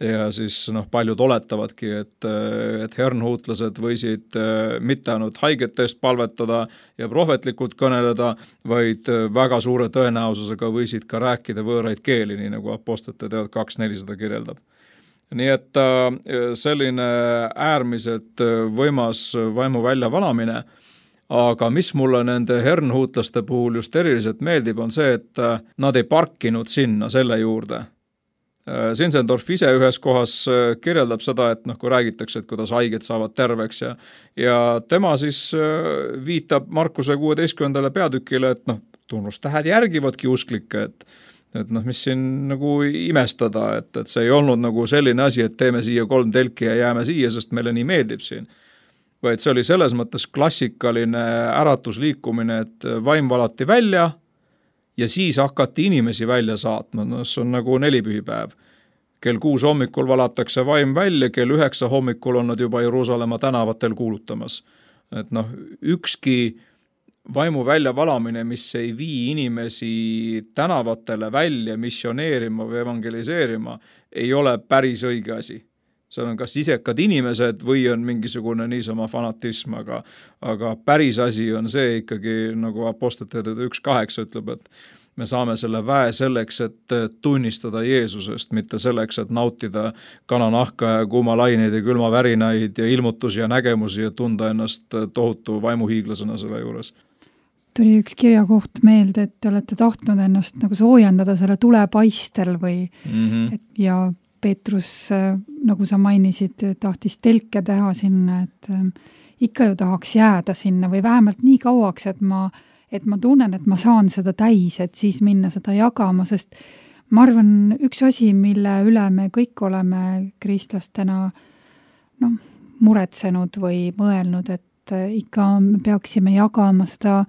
ja siis paljud oletavadki, et herrnhutlased võisid mitte ainult haigetest palvetada ja prohvetlikult kõneleda, vaid väga suure tõenäosusega võisid ka rääkida võõraid keeli, nii nagu Apostlite teod 2.400 kirjeldab. Nii et selline äärmiselt võimas vaimu väljavalamine, aga mis mulle nende herrnhutlaste puhul just eriliselt meeldib, on see, et nad ei parkinud sinna selle juurde. Zinzendorf ise ühes kohas kirjeldab seda, et kui räägitakse, et kuidas haiged saavad terveks ja tema siis viitab Markuse 16. peatükile, et tunnustähed järgivadki usklikke, et mis siin nagu imestada, et see ei olnud nagu selline asi, et teeme siia 3 telki ja jääme siia, sest meile nii meeldib siin. Vaid see oli selles mõttes klassikaline äratusliikumine, et vaim valati välja ja siis hakati inimesi välja saatma. See on nagu 4 pühipäev. Kell 6 hommikul valatakse vaim välja, kell 9 hommikul on nad juba Jeruusalemma tänavatel kuulutamas. Et ükski vaimu väljavalamine, mis ei vii inimesi tänavatele välja missioneerima või evangeliseerima, ei ole päris õige asi. See on kas isekad inimesed või on mingisugune niisama fanatism, aga päris asi on see ikkagi, nagu Apostlite 1.8 ütleb, et me saame selle väe selleks, et tunnistada Jeesusest, mitte selleks, et nautida kananahka ja kuumalaineid ja külmavärinaid ja ilmutusi ja nägemusi ja tunda ennast tohutu vaimuhiiglasena selle juures. Tuli üks kirjakoht meelde, et te olete tahtnud ennast nagu soojendada selle tulepaistel või ja Peetrus, nagu sa mainisid, tahtis telke teha sinna, et ikka ju tahaks jääda sinna või vähemalt nii kauaks, et ma tunnen, et ma saan seda täis, et siis minna seda jagama, sest ma arvan, üks asi, mille üle me kõik oleme kristlastena muretsenud või mõelnud, et ikka me peaksime jagama seda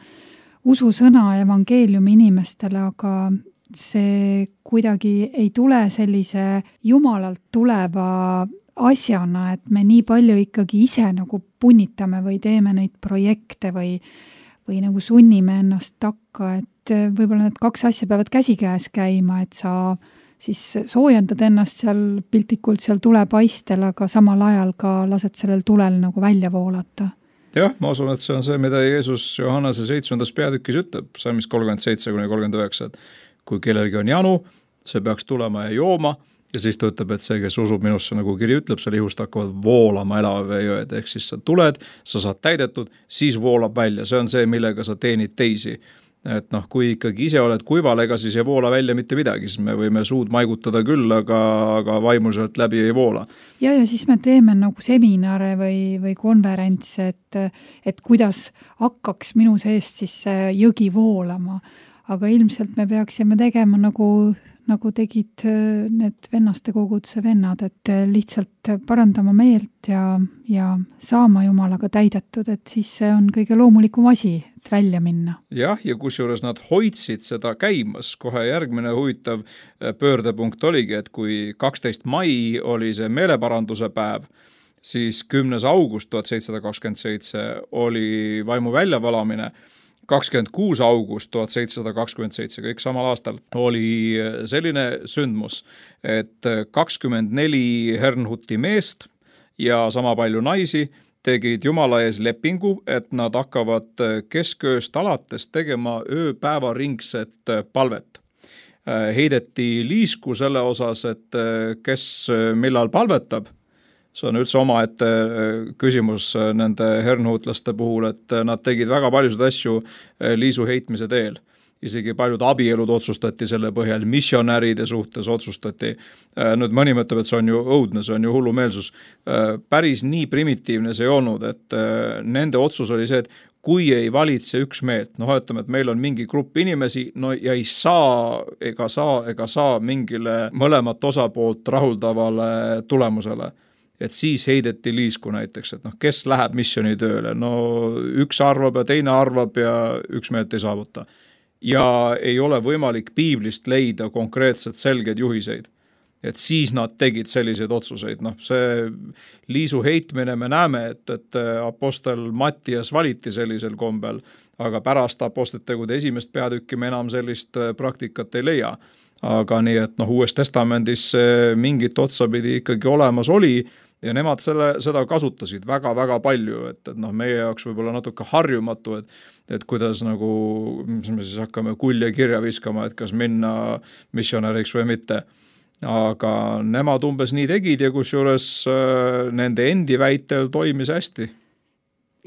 ususõna evangeeliumi inimestele, aga see kuidagi ei tule sellise Jumalalt tuleva asjana, et me nii palju ikkagi ise nagu punnitame või teeme neid projekte või nagu sunnime ennast takka, et võib-olla need kaks asja peavad käsikäes käima, et sa siis soojendad ennast seal piltlikult seal tulepaistel, aga samal ajal ka lased sellel tulel nagu välja voolata. Jah, ma usun, et see on see, mida Jeesus Johannese 7. peatükis ütleb, salmis 37-39, et kui kellelgi on janu, see peaks tulema ja jooma, ja siis ta ütleb, et see, kes usub minusse, nagu kiri ütleb, selle ihust hakkavad voolama elava veejõed, ehk siis sa tuled, sa saad täidetud, siis voolab välja, see on see, millega sa teenid teisi. Et kui ikkagi ise oled kuival, ega siis ei voola välja mitte midagi, siis me võime suud maigutada küll, aga vaimuselt läbi ei voola. Ja siis me teeme nagu seminare või konverentse, et kuidas hakkaks minu seest siis see jõgi voolama. Aga ilmselt me peaksime tegema nagu tegid need vennaste koguduse vennad, et lihtsalt parandama meelt ja saama Jumalaga täidetud, et siis see on kõige loomulikum asi, et välja minna. Jah, ja kusjuures nad hoidsid seda käimas. Kohe järgmine huvitav pöördepunkt oligi, et kui 12. mai oli see meeleparanduse päev, siis 10. august 1727 oli vaimu väljavalamine, 26. august 1727, kõik samal aastal, oli selline sündmus, et 24 Herrnhuti meest ja sama palju naisi tegid Jumala ees lepingu, et nad hakkavad keskööst alates tegema ööpäevaringset palvet. Heideti liisku selle osas, et kes millal palvetab. See on üldse omaette küsimus nende hernhutlaste puhul, et nad tegid väga paljusid asju liisu heitmise teel. Isegi paljud abielud otsustati selle põhjal, missionäride suhtes otsustati. Nüüd mõni mõtleb, et see on ju õudne, see on ju hullumeelsus. Päris nii primitiivne see ei olnud, et nende otsus oli see, et kui ei valitse üks meelt, ütleme, et meil on mingi grupp inimesi, ja ei saa ega saa mingile mõlemat osapoolt rahuldavale tulemusele. Et siis heideti liisku näiteks, et kes läheb missionitööle, üks arvab ja teine arvab ja üks meelt ei saavuta. Ja ei ole võimalik piiblist leida konkreetselt selged juhiseid. Et siis nad tegid selliseid otsuseid. See liisu heitmine me näeme, et apostel Mattias valiti sellisel kombel, aga pärast Apostlite tegude 1. peatükki me enam sellist praktikat ei leia. Aga nii, et Uues Testamendis mingit otsapidi ikkagi olemas oli, ja nemad seda kasutasid väga-väga palju, et meie jaoks võib-olla natuke harjumatu, et kuidas mis me siis hakkame kulje kirja viskama, et kas minna missionäriks või mitte. Aga nemad umbes nii tegid ja kusjuures nende endi väitel toimis hästi.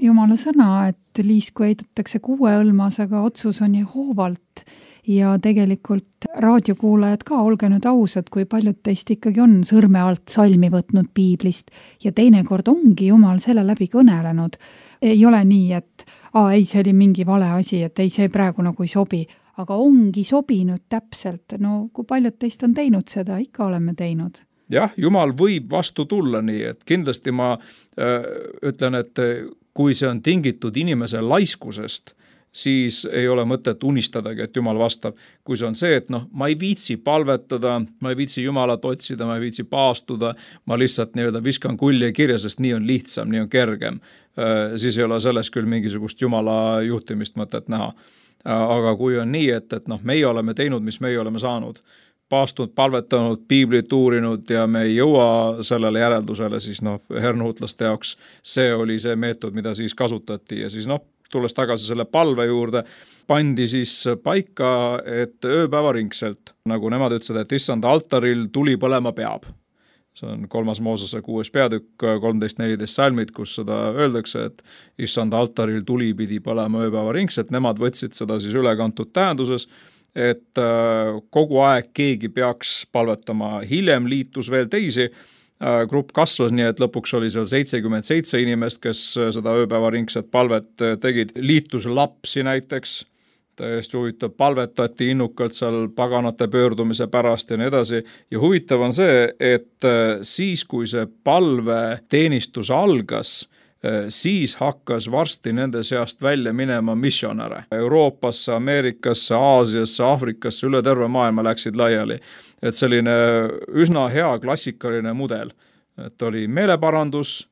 Jumala sõna, et liisku heidetakse 6 õlmas, aga otsus on Jehoovalt. Ja tegelikult raadiokuulajad ka, olge nüüd ausad, kui paljud teist ikkagi on sõrme alt salmi võtnud piiblist ja teinekord ongi Jumal selle läbi kõnelenud. Ei ole nii, et ei, see oli mingi vale asi, et ei, see praegu nagu ei sobi, aga ongi sobinud täpselt. Kui paljud teist on teinud seda, ikka oleme teinud. Jah, Jumal võib vastu tulla nii, et kindlasti ma ütlen, et kui see on tingitud inimese laiskusest, siis ei ole mõtet unistadagi, et Jumal vastab. Kui see on see, et ma ei viitsi palvetada, ma ei viitsi Jumalat otsida, ma ei viitsi paastuda, ma lihtsalt viskan kulje kirja, sest nii on lihtsam, nii on kergem, siis ei ole selles küll mingisugust Jumala juhtimist mõtet näha. Aga kui on nii, et meie oleme teinud, mis meie oleme saanud, paastunud, palvetanud, piiblit uurinud ja me ei jõua sellele järeldusele, siis hernuutlaste jaoks see oli see meetod, mida siis kasutati ja siis tulles tagasi selle palve juurde, pandi siis paika, et ööpäevaringselt, nagu nemad ütlesid, et issanda altaril tuli põlema peab. See on 3. Moosese 6. peatükk, 13-14 salmid, kus seda öeldakse, et issanda altaril tuli pidi põlema ööpäevaringselt, nemad võtsid seda siis ülekantud tähenduses, et kogu aeg keegi peaks palvetama. Hiljem liitus veel teisi, grupp kasvas nii, et lõpuks oli seal 77 inimest, kes seda ööpäevaringset palvet tegid. Liitus lapsi näiteks, täiesti huvitav, palvetati innukalt seal paganate pöördumise pärast ja nii edasi. Ja huvitav on see, et siis, kui see palveteenistus algas, siis hakkas varsti nende seast välja minema missionäre. Euroopasse, Ameerikasse, Aasiasse, Aafrikasse, üle terve maailma läksid laiali. Et selline üsna hea klassikaline mudel, et oli meeleparandus,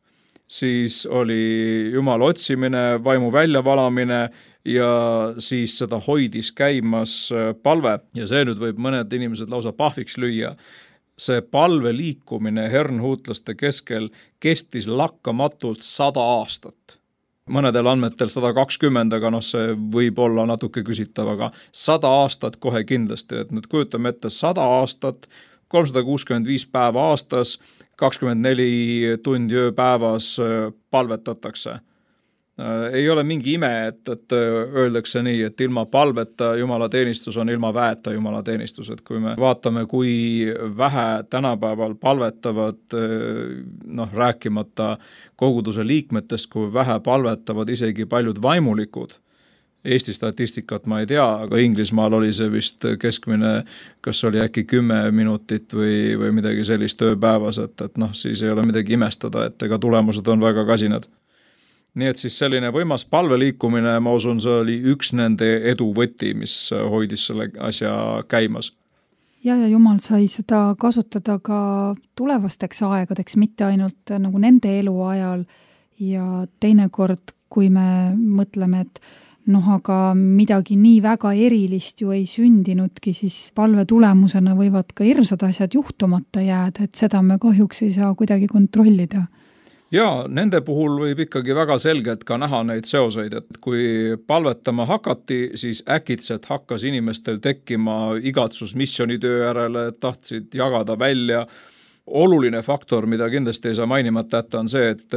siis oli Jumala otsimine, vaimu väljavalamine ja siis seda hoidis käimas palve. Ja see nüüd võib mõned inimesed lausa pahviks lüüa. See palve liikumine hernhuutlaste keskel kestis lakkamatult 100 aastat. Mõnedel andmetel 120, aga see võib olla natuke küsitav, aga 100 aastat kohe kindlasti. Et nüüd kujutame ette 100 aastat, 365 päeva aastas, 24 tundi ööpäevas palvetatakse. Ei ole mingi ime, et öeldakse nii, et ilma palveta Jumala teenistus on ilma väeta Jumala teenistus. Et kui me vaatame, kui vähe tänapäeval palvetavad, rääkimata koguduse liikmetest, kui vähe palvetavad isegi paljud vaimulikud. Eesti statistikat ma ei tea, aga Inglismaal oli see vist keskmine, kas oli äkki 10 minutit või midagi sellist ööpäevas, et siis ei ole midagi imestada, et ega tulemused on väga kasinad. Nii et siis selline võimas palveliikumine, ma usun, see oli üks nende edu võti, mis hoidis selle asja käimas. Ja Jumal sai seda kasutada ka tulevasteks aegadeks, mitte ainult nagu nende eluajal ja teinekord, kui me mõtleme, et aga midagi nii väga erilist ju ei sündinudki, siis palve tulemusena võivad ka hirmsad asjad juhtumata jääda, et seda me kahjuks ei saa kuidagi kontrollida. Ja nende puhul võib ikkagi väga selgelt ka näha neid seoseid, et kui palvetama hakati, siis äkitselt hakkas inimestel tekkima igatsus missionitöö järele, tahtsid jagada välja. Oluline faktor, mida kindlasti ei saa mainimata jätta, on see, et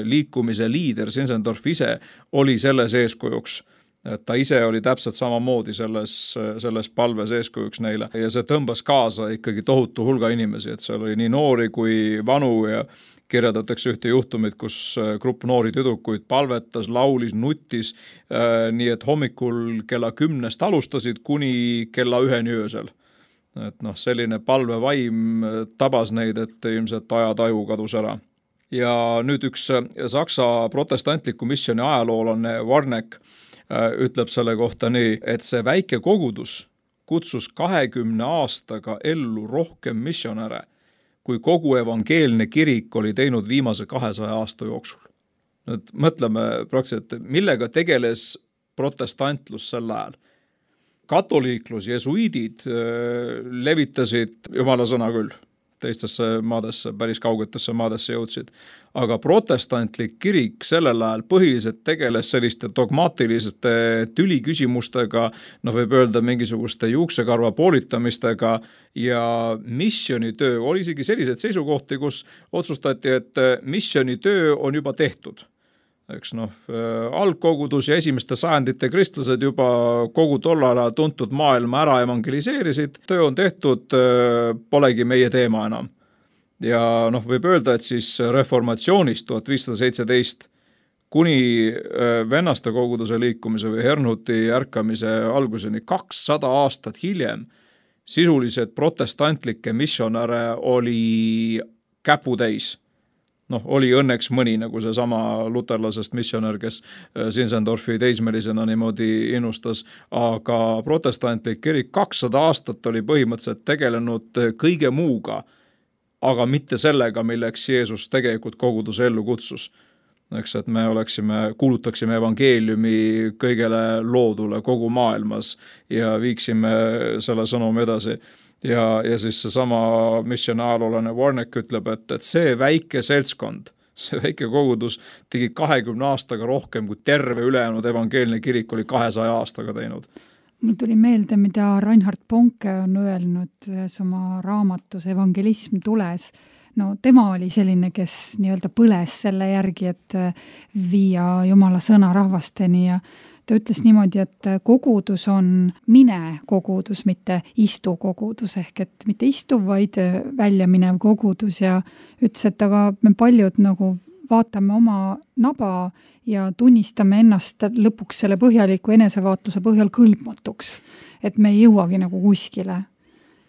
liikumise liider Zinzendorf ise oli selles eeskujuks. Et ta ise oli täpselt samamoodi selles palves eeskujuks neile ja see tõmbas kaasa ikkagi tohutu hulga inimesi, et seal oli nii noori kui vanu ja kirjeldatakse ühte juhtumit, kus grupp noori tüdrukuid palvetas, laulis, nuttis, nii et hommikul kella 10 alustasid kuni kella 1 öösel. Et selline palvevaim tabas neid, et ilmselt ajataju kadus ära. Ja nüüd üks Saksa protestantliku missioni ajaloolane Warneck ütleb selle kohta nii, et see väike kogudus kutsus 20 aastaga ellu rohkem missionäre, kui kogu evangeelne kirik oli teinud viimase 200 aasta jooksul. Nüüd mõtleme praktiliselt, millega tegeles protestantlus sel ajal. Katoliiklus, jesuiidid levitasid Jumala sõna küll, teistesse maadesse, päris kaugetesse maadesse jõudsid. Aga protestantlik kirik sellel ajal põhiliselt tegeles selliste dogmaatiliste tüliküsimustega, võib öelda mingisuguste juuksekarva poolitamistega ja missionitöö oli isegi sellised seisukohti, kus otsustati, et missionitöö on juba tehtud. Algkogudus ja esimeste sajandite kristlased juba kogu tollal tuntud maailma ära evangeliseerisid, töö on tehtud, polegi meie teema enam. Ja võib öelda, et siis reformatsioonist 1517 kuni vennaste koguduse liikumise või Hernhuti ärkamise alguseni 200 aastat hiljem sisuliselt protestantlikke missionäre oli käputäis. oli õnneks mõni, nagu see sama luterlasest missionär, kes Zinzendorfi teismelisena niimoodi innustas, aga protestantlik kirik 200 aastat oli põhimõtteliselt tegelenud kõige muuga, aga mitte sellega, milleks Jeesus tegelikult koguduse ellu kutsus. Eks, et me kuulutaksime evangeeliumi kõigele loodule kogu maailmas ja viiksime selle sõnumi edasi. Ja siis see sama missiooni ajaloolane Warneck ütleb, et see väike seltskond, see väike kogudus tegi 20 aastaga rohkem, kui terve ülejäänud evangeelne kirik oli 200 aastaga teinud. Mul tuli meelde, mida Reinhard Bonke on öelnud ühes oma raamatus Evangelism tules. No tema oli selline, kes nii-öelda põles selle järgi, et viia Jumala sõna rahvasteni ja ta ütles niimoodi, et kogudus on mine kogudus, mitte istu kogudus, ehk et mitte istuv, vaid välja minev kogudus ja ütles, et aga me paljud nagu vaatame oma naba ja tunnistame ennast lõpuks selle põhjaliku enesevaatluse põhjal kõlbmatuks, et me ei jõuagi nagu kuskile.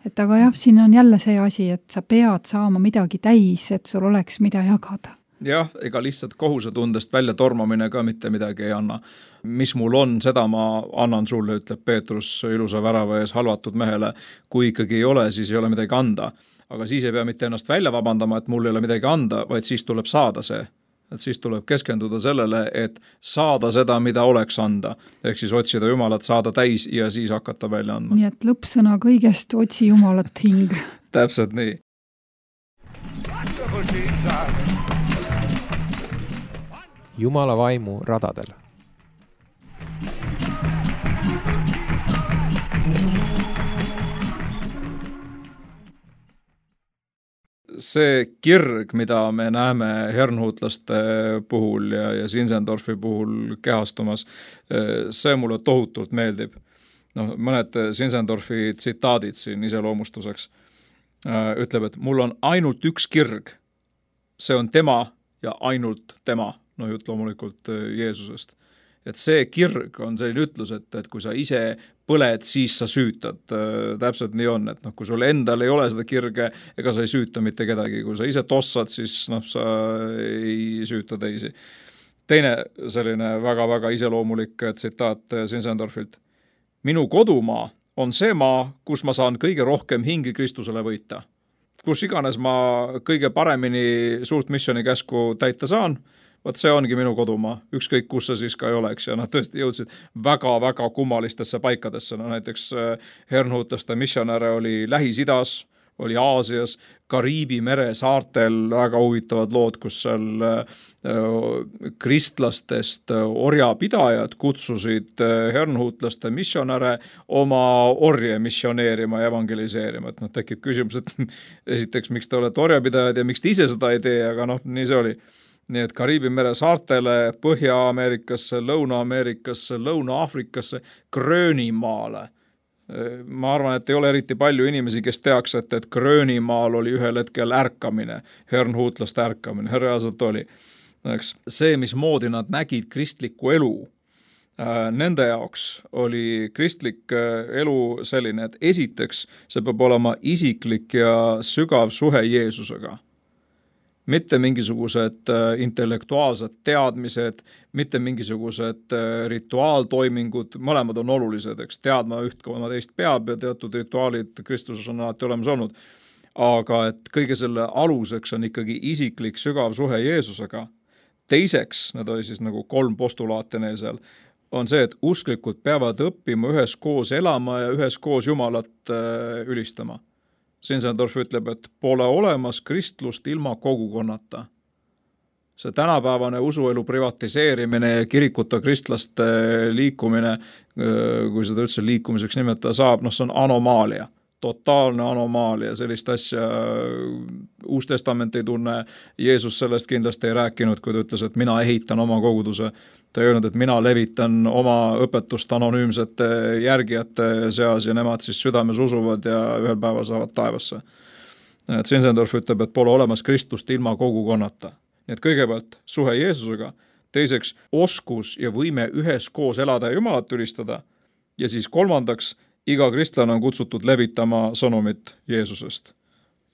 Et aga jah, siin on jälle see asi, et sa pead saama midagi täis, et sul oleks mida jagada. Jah, ega lihtsalt kohusetundest välja tormamine ka mitte midagi ei anna. Mis mul on, seda ma annan sulle, ütleb Peetrus ilusa värava ees halvatud mehele. Kui ikkagi ei ole, siis ei ole midagi anda. Aga siis ei pea mitte ennast välja vabandama, et mul ei ole midagi anda, vaid siis tuleb saada see. Et siis tuleb keskenduda sellele, et saada seda, mida oleks anda. Ehk siis otsida Jumalat, saada täis ja siis hakata välja andma. Nii et lõppsõna kõigest otsi Jumalat hing. Täpselt nii. Wonderful Jesus. Jumala vaimu radadel. See kirg, mida me näeme hernhuutlaste puhul ja Zinzendorfi puhul kehastumas, see mulle tohutult meeldib. Mõned Zinzendorfi tsitaadid siin iseloomustuseks ütleb, et mul on ainult üks kirg. See on tema ja ainult tema. Jutt loomulikult Jeesusest. Et see kirg on selline ütlus, et kui sa ise põled, siis sa süütad. Täpselt nii on, et kui sul endal ei ole seda kirge, ega sa ei süüta mitte kedagi. Kui sa ise tossad, siis sa ei süüta teisi. Teine selline väga-väga iseloomulik tsitaat Zinzendorfilt. Minu kodumaa on see maa, kus ma saan kõige rohkem hingi Kristusele võita. Kus iganes ma kõige paremini suurt missiooni käsku täita saan, võt see ongi minu kodumaa, ükskõik kus see siis ka ei oleks ja nad tõesti jõudsid väga-väga kummalistesse paikadesse. Näiteks hernhuutlaste missionäre oli Lähis-Idas, oli Aasias, Kariibi mere saartel väga huvitavad lood, kus seal kristlastest orjapidajad kutsusid hernhuutlaste missionäre oma orje missioneerima ja evangeliseerima. Et tekib küsimus, et esiteks, miks te olete orjapidajad ja miks te ise seda ei tee, aga nii see oli. Nii et Kariibi mere saartele, Põhja-Ameerikasse, Lõuna-Ameerikasse, Lõuna-Afrikasse, Gröönimaale. Ma arvan, et ei ole eriti palju inimesi, kes teaks, et Gröönimaal oli ühel hetkel ärkamine, hernhuutlaste ärkamine, reaalselt oli. See, mismoodi nad nägid kristlikku elu, nende jaoks oli kristlik elu selline, et esiteks see peab olema isiklik ja sügav suhe Jeesusega. Mitte mingisugused intellektuaalsed teadmised, mitte mingisugused rituaaltoimingud, mõlemad on olulised, eks teadma üht, kui oma teist peab ja teatud rituaalid Kristuses on alati olemas olnud. Aga et kõige selle aluseks on ikkagi isiklik sügav suhe Jeesusega. Teiseks, need oli siis nagu 3 postulaate neil seal, on see, et usklikud peavad õppima üheskoos elama ja üheskoos Jumalat ülistama. Zinzendorf ütleb, et pole olemas kristlust ilma kogukonnata. See tänapäevane usuelu privatiseerimine ja kirikuta kristlaste liikumine, kui seda üldse liikumiseks nimetada saab, see on anomaalia. Totaalne anomaalia, sellist asja Uus Testament ei tunne. Jeesus sellest kindlasti ei rääkinud, kui ta ütles, et mina ehitan oma koguduse. Ta ei öelnud, et mina levitan oma õpetust anonüümsete järgijate seas ja nemad siis südames usuvad ja ühel päeval saavad taevasse. Zinzendorf ütleb, et pole olemas Kristust ilma kogukonnata. Nii et kõigepealt suhe Jeesusega, teiseks oskus ja võime üheskoos elada ja Jumalat ülistada ja siis kolmandaks iga kristlane on kutsutud levitama sõnumit Jeesusest.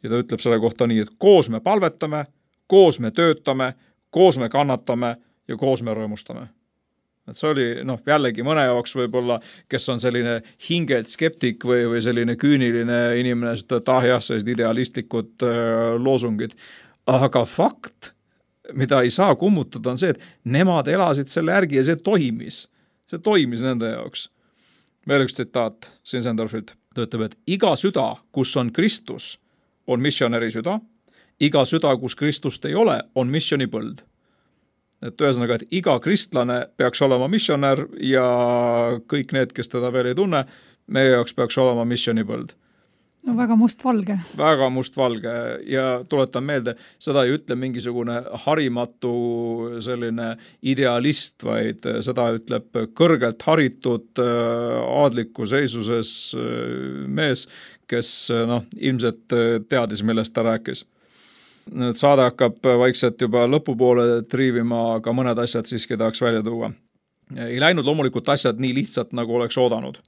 Ja ta ütleb selle kohta nii, et koos me palvetame, koos me töötame, koos me kannatame ja koos me rõõmustame. Et see oli jällegi mõne jaoks võib-olla, kes on selline hingelt skeptik või selline küüniline inimene, et sellised idealistlikud loosungid. Aga fakt, mida ei saa kummutada, on see, et nemad elasid selle järgi ja see toimis. See toimis nende jaoks. Veel üks tsitaat Zinzendorfilt. Ta ütleb, et iga süda, kus on Kristus, on missionäri süda. Iga süda, kus Kristust ei ole, on missionipõld. Et ühesõnaga, et iga kristlane peaks olema missionär ja kõik need, kes teda veel ei tunne, meie jaoks peaks olema missionipõld. No väga mustvalge. Väga mustvalge ja tuletan meelde, seda ei ütle mingisugune harimatu selline idealist, vaid seda ütleb kõrgelt haritud aadliku seisuses mees, kes ilmselt teadis, millest ta rääkis. Nüüd saade hakkab vaikselt juba lõpupoole triivima, aga mõned asjad siiski tahaks välja tuua. Ei läinud loomulikult asjad nii lihtsalt, nagu oleks oodanud.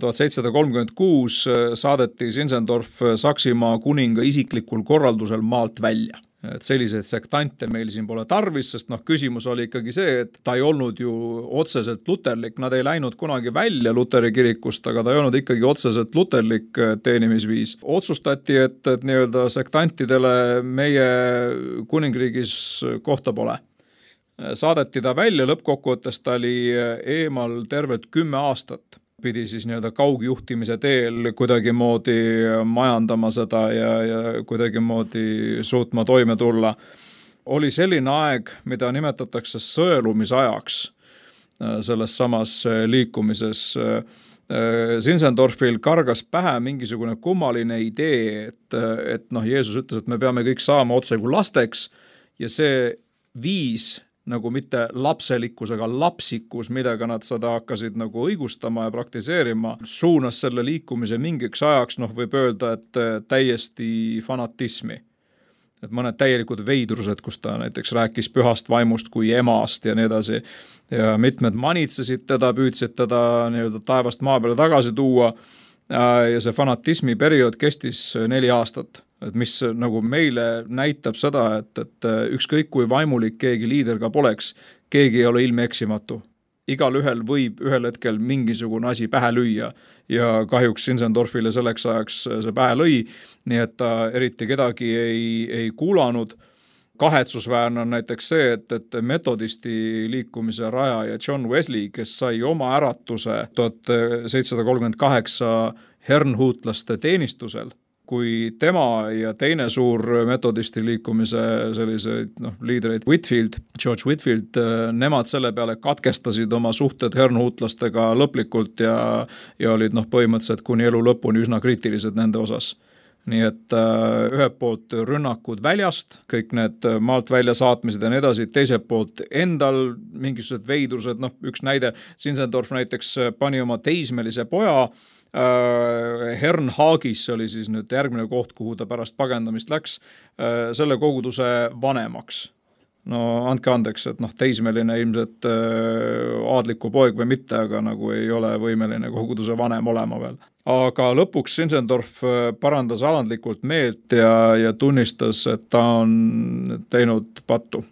1736 saadeti Zinzendorf Saksimaa kuninga isiklikul korraldusel maalt välja. Et selliseid sektante meil siin pole tarvis, sest küsimus oli ikkagi see, et ta ei olnud ju otseselt luterlik, nad ei läinud kunagi välja Luteri kirikust, aga ta ei olnud ikkagi otseselt luterlik teenimisviis. Otsustati, et nii-öelda sektantidele meie kuningriigis kohta pole. Saadeti ta välja, lõppkokkuvõttes ta oli eemal tervelt 10 aastat. Pidi siis nii-öelda kaugjuhtimise teel kuidagimoodi majandama seda ja kuidagimoodi suutma toime tulla. Oli selline aeg, mida nimetatakse sõelumisajaks selles samas liikumises. Zinzendorfil kargas pähe mingisugune kummaline idee, et Jeesus ütles, et me peame kõik saama otse kui lasteks ja see viis nagu mitte lapselikkus, aga lapsikus, millega nad seda hakkasid nagu õigustama ja praktiseerima, suunas selle liikumise mingiks ajaks, võib öelda, et täiesti fanatismi. Et mõned täielikud veidrused, kus ta näiteks rääkis pühast vaimust kui emast ja nii edasi. Ja mitmed manitsesid teda, püüdsid teda nii-öelda taevast maa peale tagasi tuua ja see fanatismi periood kestis 4 aastat. Et mis nagu meile näitab seda, et ükskõik kui vaimulik keegi liider ka poleks, keegi ei ole ilme eksimatu. Igal ühel võib ühel hetkel mingisugune asi pähe lüüa ja kahjuks Zinzendorfile selleks ajaks see pähe lõi, nii et ta eriti kedagi ei kuulanud. Kahetsusväärne on näiteks see, et metodisti liikumise rajaja John Wesley, kes sai oma äratuse 1738 hernhuutlaste teenistusel, kui tema ja teine suur metodisti liikumise selliseid liidreid George Whitfield, nemad selle peale katkestasid oma suhted hernhuutlastega lõplikult ja olid põhimõtteliselt kuni elu lõpuni üsna kriitilised nende osas. Nii et ühelt poolt rünnakud väljast, kõik need maalt välja saatmised ja nii edasi, teiselt poolt endal mingisugused veidrused, üks näide, Zinzendorf näiteks pani oma teismelise poja Hernhaagis, see oli siis nüüd järgmine koht, kuhu ta pärast pagendamist läks, selle koguduse vanemaks. Andke andeks, et teismeline ilmselt aadliku poeg või mitte, aga nagu ei ole võimeline koguduse vanem olema veel. Aga lõpuks Zinzendorf parandas alandlikult meelt ja tunnistas, et ta on teinud pattu.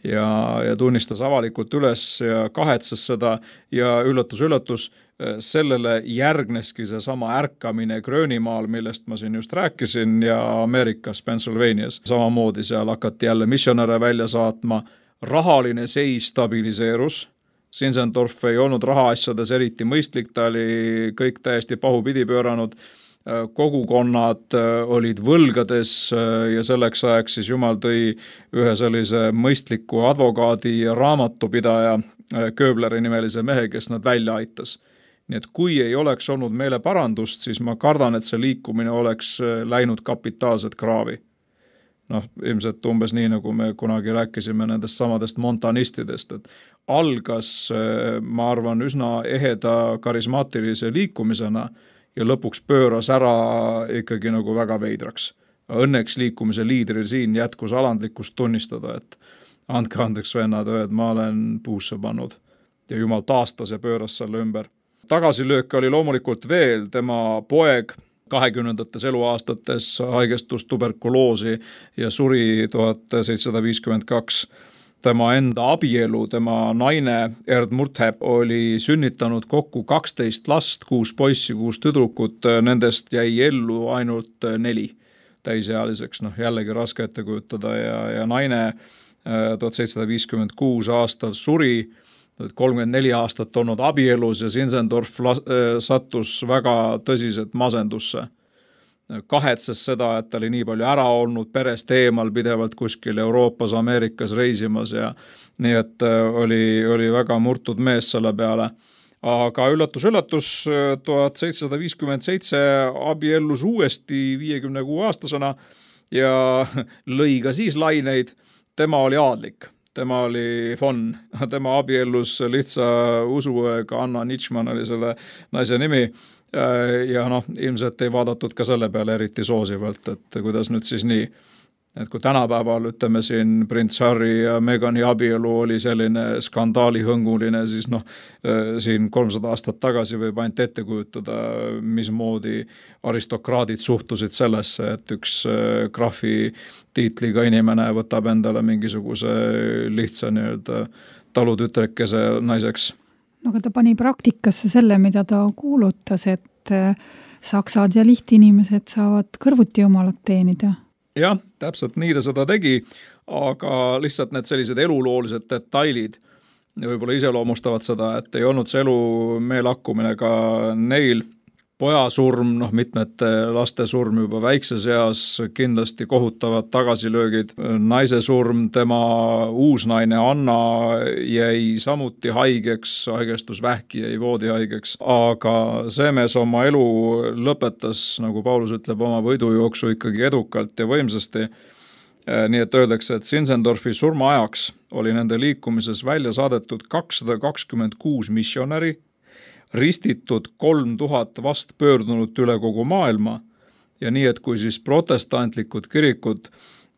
Ja tunnistas avalikult üles ja kahetses seda ja üllatus, sellele järgneski see sama ärkamine Gröönimaal, millest ma siin just rääkisin, ja Ameerikas, Pennsylvanias. Samamoodi seal hakati jälle missionäre välja saatma. Rahaline seis stabiliseerus. Zinzendorf ei olnud rahaasjades eriti mõistlik, ta oli kõik täiesti pahupidi pööranud. Kogukonnad olid võlgades ja selleks ajaks siis Jumal tõi ühe sellise mõistliku advokaadi ja raamatupidaja Kööbleri nimelise mehe, kes nad välja aitas. Nii et kui ei oleks olnud meeleparandust, siis ma kardan, et see liikumine oleks läinud kapitaalset kraavi. Ilmselt umbes nii, nagu me kunagi rääkisime nendest samadest montanistidest, et algas, ma arvan, üsna eheda karismaatilise liikumisena ja lõpuks pööras ära ikkagi nagu väga veidraks. Õnneks liikumise liidril siin jätkus alandlikkust tunnistada, et andke andeks vennad, et ma olen puusse pannud ja Jumal taastas ja pööras selle ümber. Tagasilööke oli loomulikult veel, tema poeg 20. eluaastates haigestus tuberkuloosi ja suri 1752. Tema enda abielu, tema naine Erd Murtheb oli sünnitanud kokku 12 last, 6 poissi, 6 tüdrukut, nendest jäi ellu ainult 4 täisealiseks, jällegi raske ette kujutada ja naine 1756 aastal suri, 34 aastat olnud abielus ja Zinzendorf sattus väga tõsiselt masendusse. Kahetses seda, et ta oli nii palju ära olnud, perest eemal pidevalt kuskil Euroopas, Ameerikas reisimas ja nii, et oli väga murtud mees selle peale. Aga üllatus, 1757 abiellus uuesti 56-aastasena ja lõi ka siis laineid. Tema oli aadlik, tema oli von, tema abiellus lihtsa usuõega, Anna Nitschmann oli selle naise nimi. Ja ilmselt ei vaadatud ka selle peale eriti soosivalt, et kuidas nüüd siis nii, et kui tänapäeval ütleme siin prints Harry ja Megani abielu oli selline skandaalihõnguline, siis siin 300 aastat tagasi võib ainult ette kujutada, mismoodi aristokraadid suhtusid sellesse, et üks graafi tiitliga inimene võtab endale mingisuguse lihtsa talutütrekese naiseks. Aga ta pani praktikasse selle, mida ta kuulutas, et saksad ja lihtinimesed saavad kõrvuti jumalat teenida. Jah, täpselt nii ta seda tegi, aga lihtsalt need sellised eluloolised detailid võib-olla iseloomustavad seda, et ei olnud see elu meelakkumine ka neil. Poja surm, mitmete laste surm juba väikses eas, kindlasti kohutavad tagasilöögid. Naise surm, tema uusnaine Anna jäi samuti haigeks, haigestus vähki, jäi voodihaigeks. Aga see mees oma elu lõpetas, nagu Paulus ütleb, oma võidujooksu ikkagi edukalt ja võimsasti. Nii et öeldakse, et Zinzendorfi surma ajaks oli nende liikumises välja saadetud 226 missionäri, ristitud 3000 vast pöördunut üle kogu maailma ja nii, et kui siis protestantlikud kirikud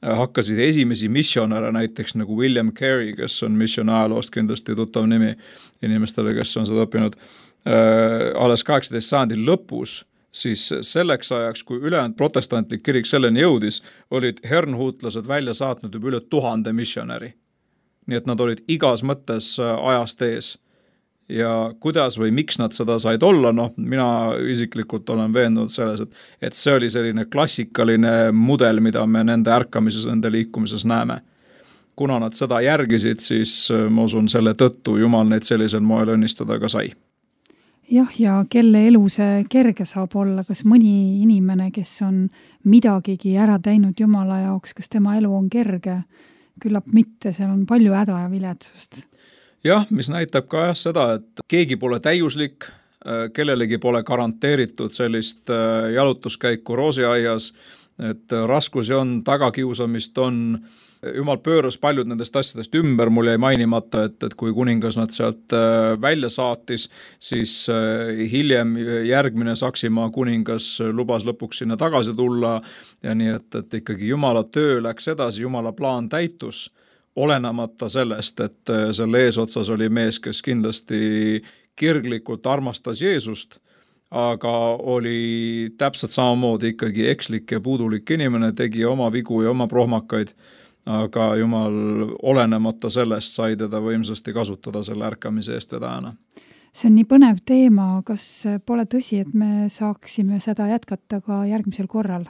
hakkasid esimesi missionäre, näiteks nagu William Carey, kes on missiooni ajaloost kindlasti tuttav nimi inimestele, kes on seda õppinud, alles 18. sajandil lõpus, siis selleks ajaks, kui ülejäänud protestantlik kirik selleni jõudis, olid hernhuutlased välja saatnud juba üle 1000 missionäri. Nii et nad olid igas mõttes ajast ees. Ja kuidas või miks nad seda said olla, mina isiklikult olen veendunud selles, et see oli selline klassikaline mudel, mida me nende ärkamises, nende liikumises näeme. Kuna nad seda järgisid, siis ma usun selle tõttu Jumal neid sellisel moel õnnistada ka sai. Jah, ja kelle elu see kerge saab olla, kas mõni inimene, kes on midagigi ära teinud Jumala jaoks, kas tema elu on kerge? Küllap mitte, seal on palju häda ja viletsust. Jah, mis näitab ka seda, et keegi pole täiuslik, kellelegi pole garanteeritud sellist jalutuskäiku roosiaias, et raskusi on, tagakiusamist on. Jumal pööras paljud nendest asjadest ümber, mul jäi mainimata, et kui kuningas nad sealt välja saatis, siis hiljem järgmine Saksimaa kuningas lubas lõpuks sinna tagasi tulla ja nii, et ikkagi Jumala töö läks edasi, Jumala plaan täitus. Olenamata sellest, et selle eesotsas oli mees, kes kindlasti kirglikult armastas Jeesust, aga oli täpselt samamoodi ikkagi ekslik ja puudulik inimene, tegi oma vigu ja oma prohmakaid, aga Jumal olenemata sellest sai teda võimsasti kasutada selle ärkamise eest vedajana. See on nii põnev teema, kas pole tõsi, et me saaksime seda jätkata ka järgmisel korral?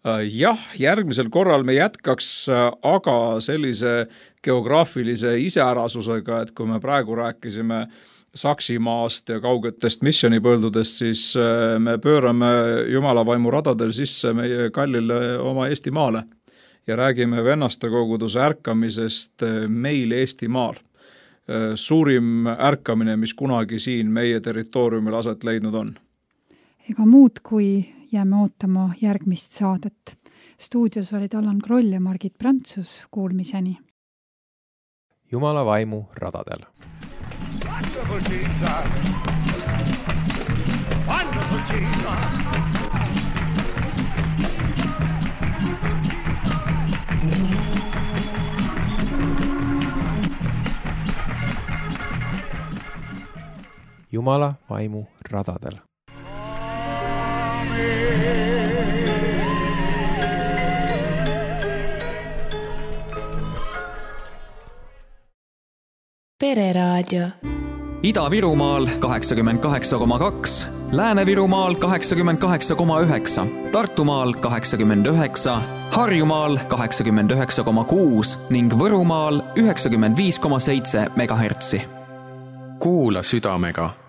Jah, järgmisel korral me jätkaks, aga sellise geograafilise iseärasusega, et kui me praegu rääkisime Saksimaast ja kaugetest missionipõldudest, siis me pöörame Jumala vaimu radadel sisse meie kallile oma Eestimaale ja räägime vennaste koguduse ärkamisest meil Eestimaal. Suurim ärkamine, mis kunagi siin meie territooriumil aset leidnud on. Ega muud kui jääme ootama järgmist saadet. Stuudios olid Allan Kroll ja Margit Prantsus, kuulmiseni. Jumala vaimu radadel. Wonderful Jesus! Wonderful Jesus! Jumala vaimu radadel. Amen. Pereraadio. Ida-Virumaal 88,2, Lääne-Virumaal 88,9, Tartumaal 89, Harjumaal 89,6 ning Võrumaal 95,7 megahertsi. Kuula südamega.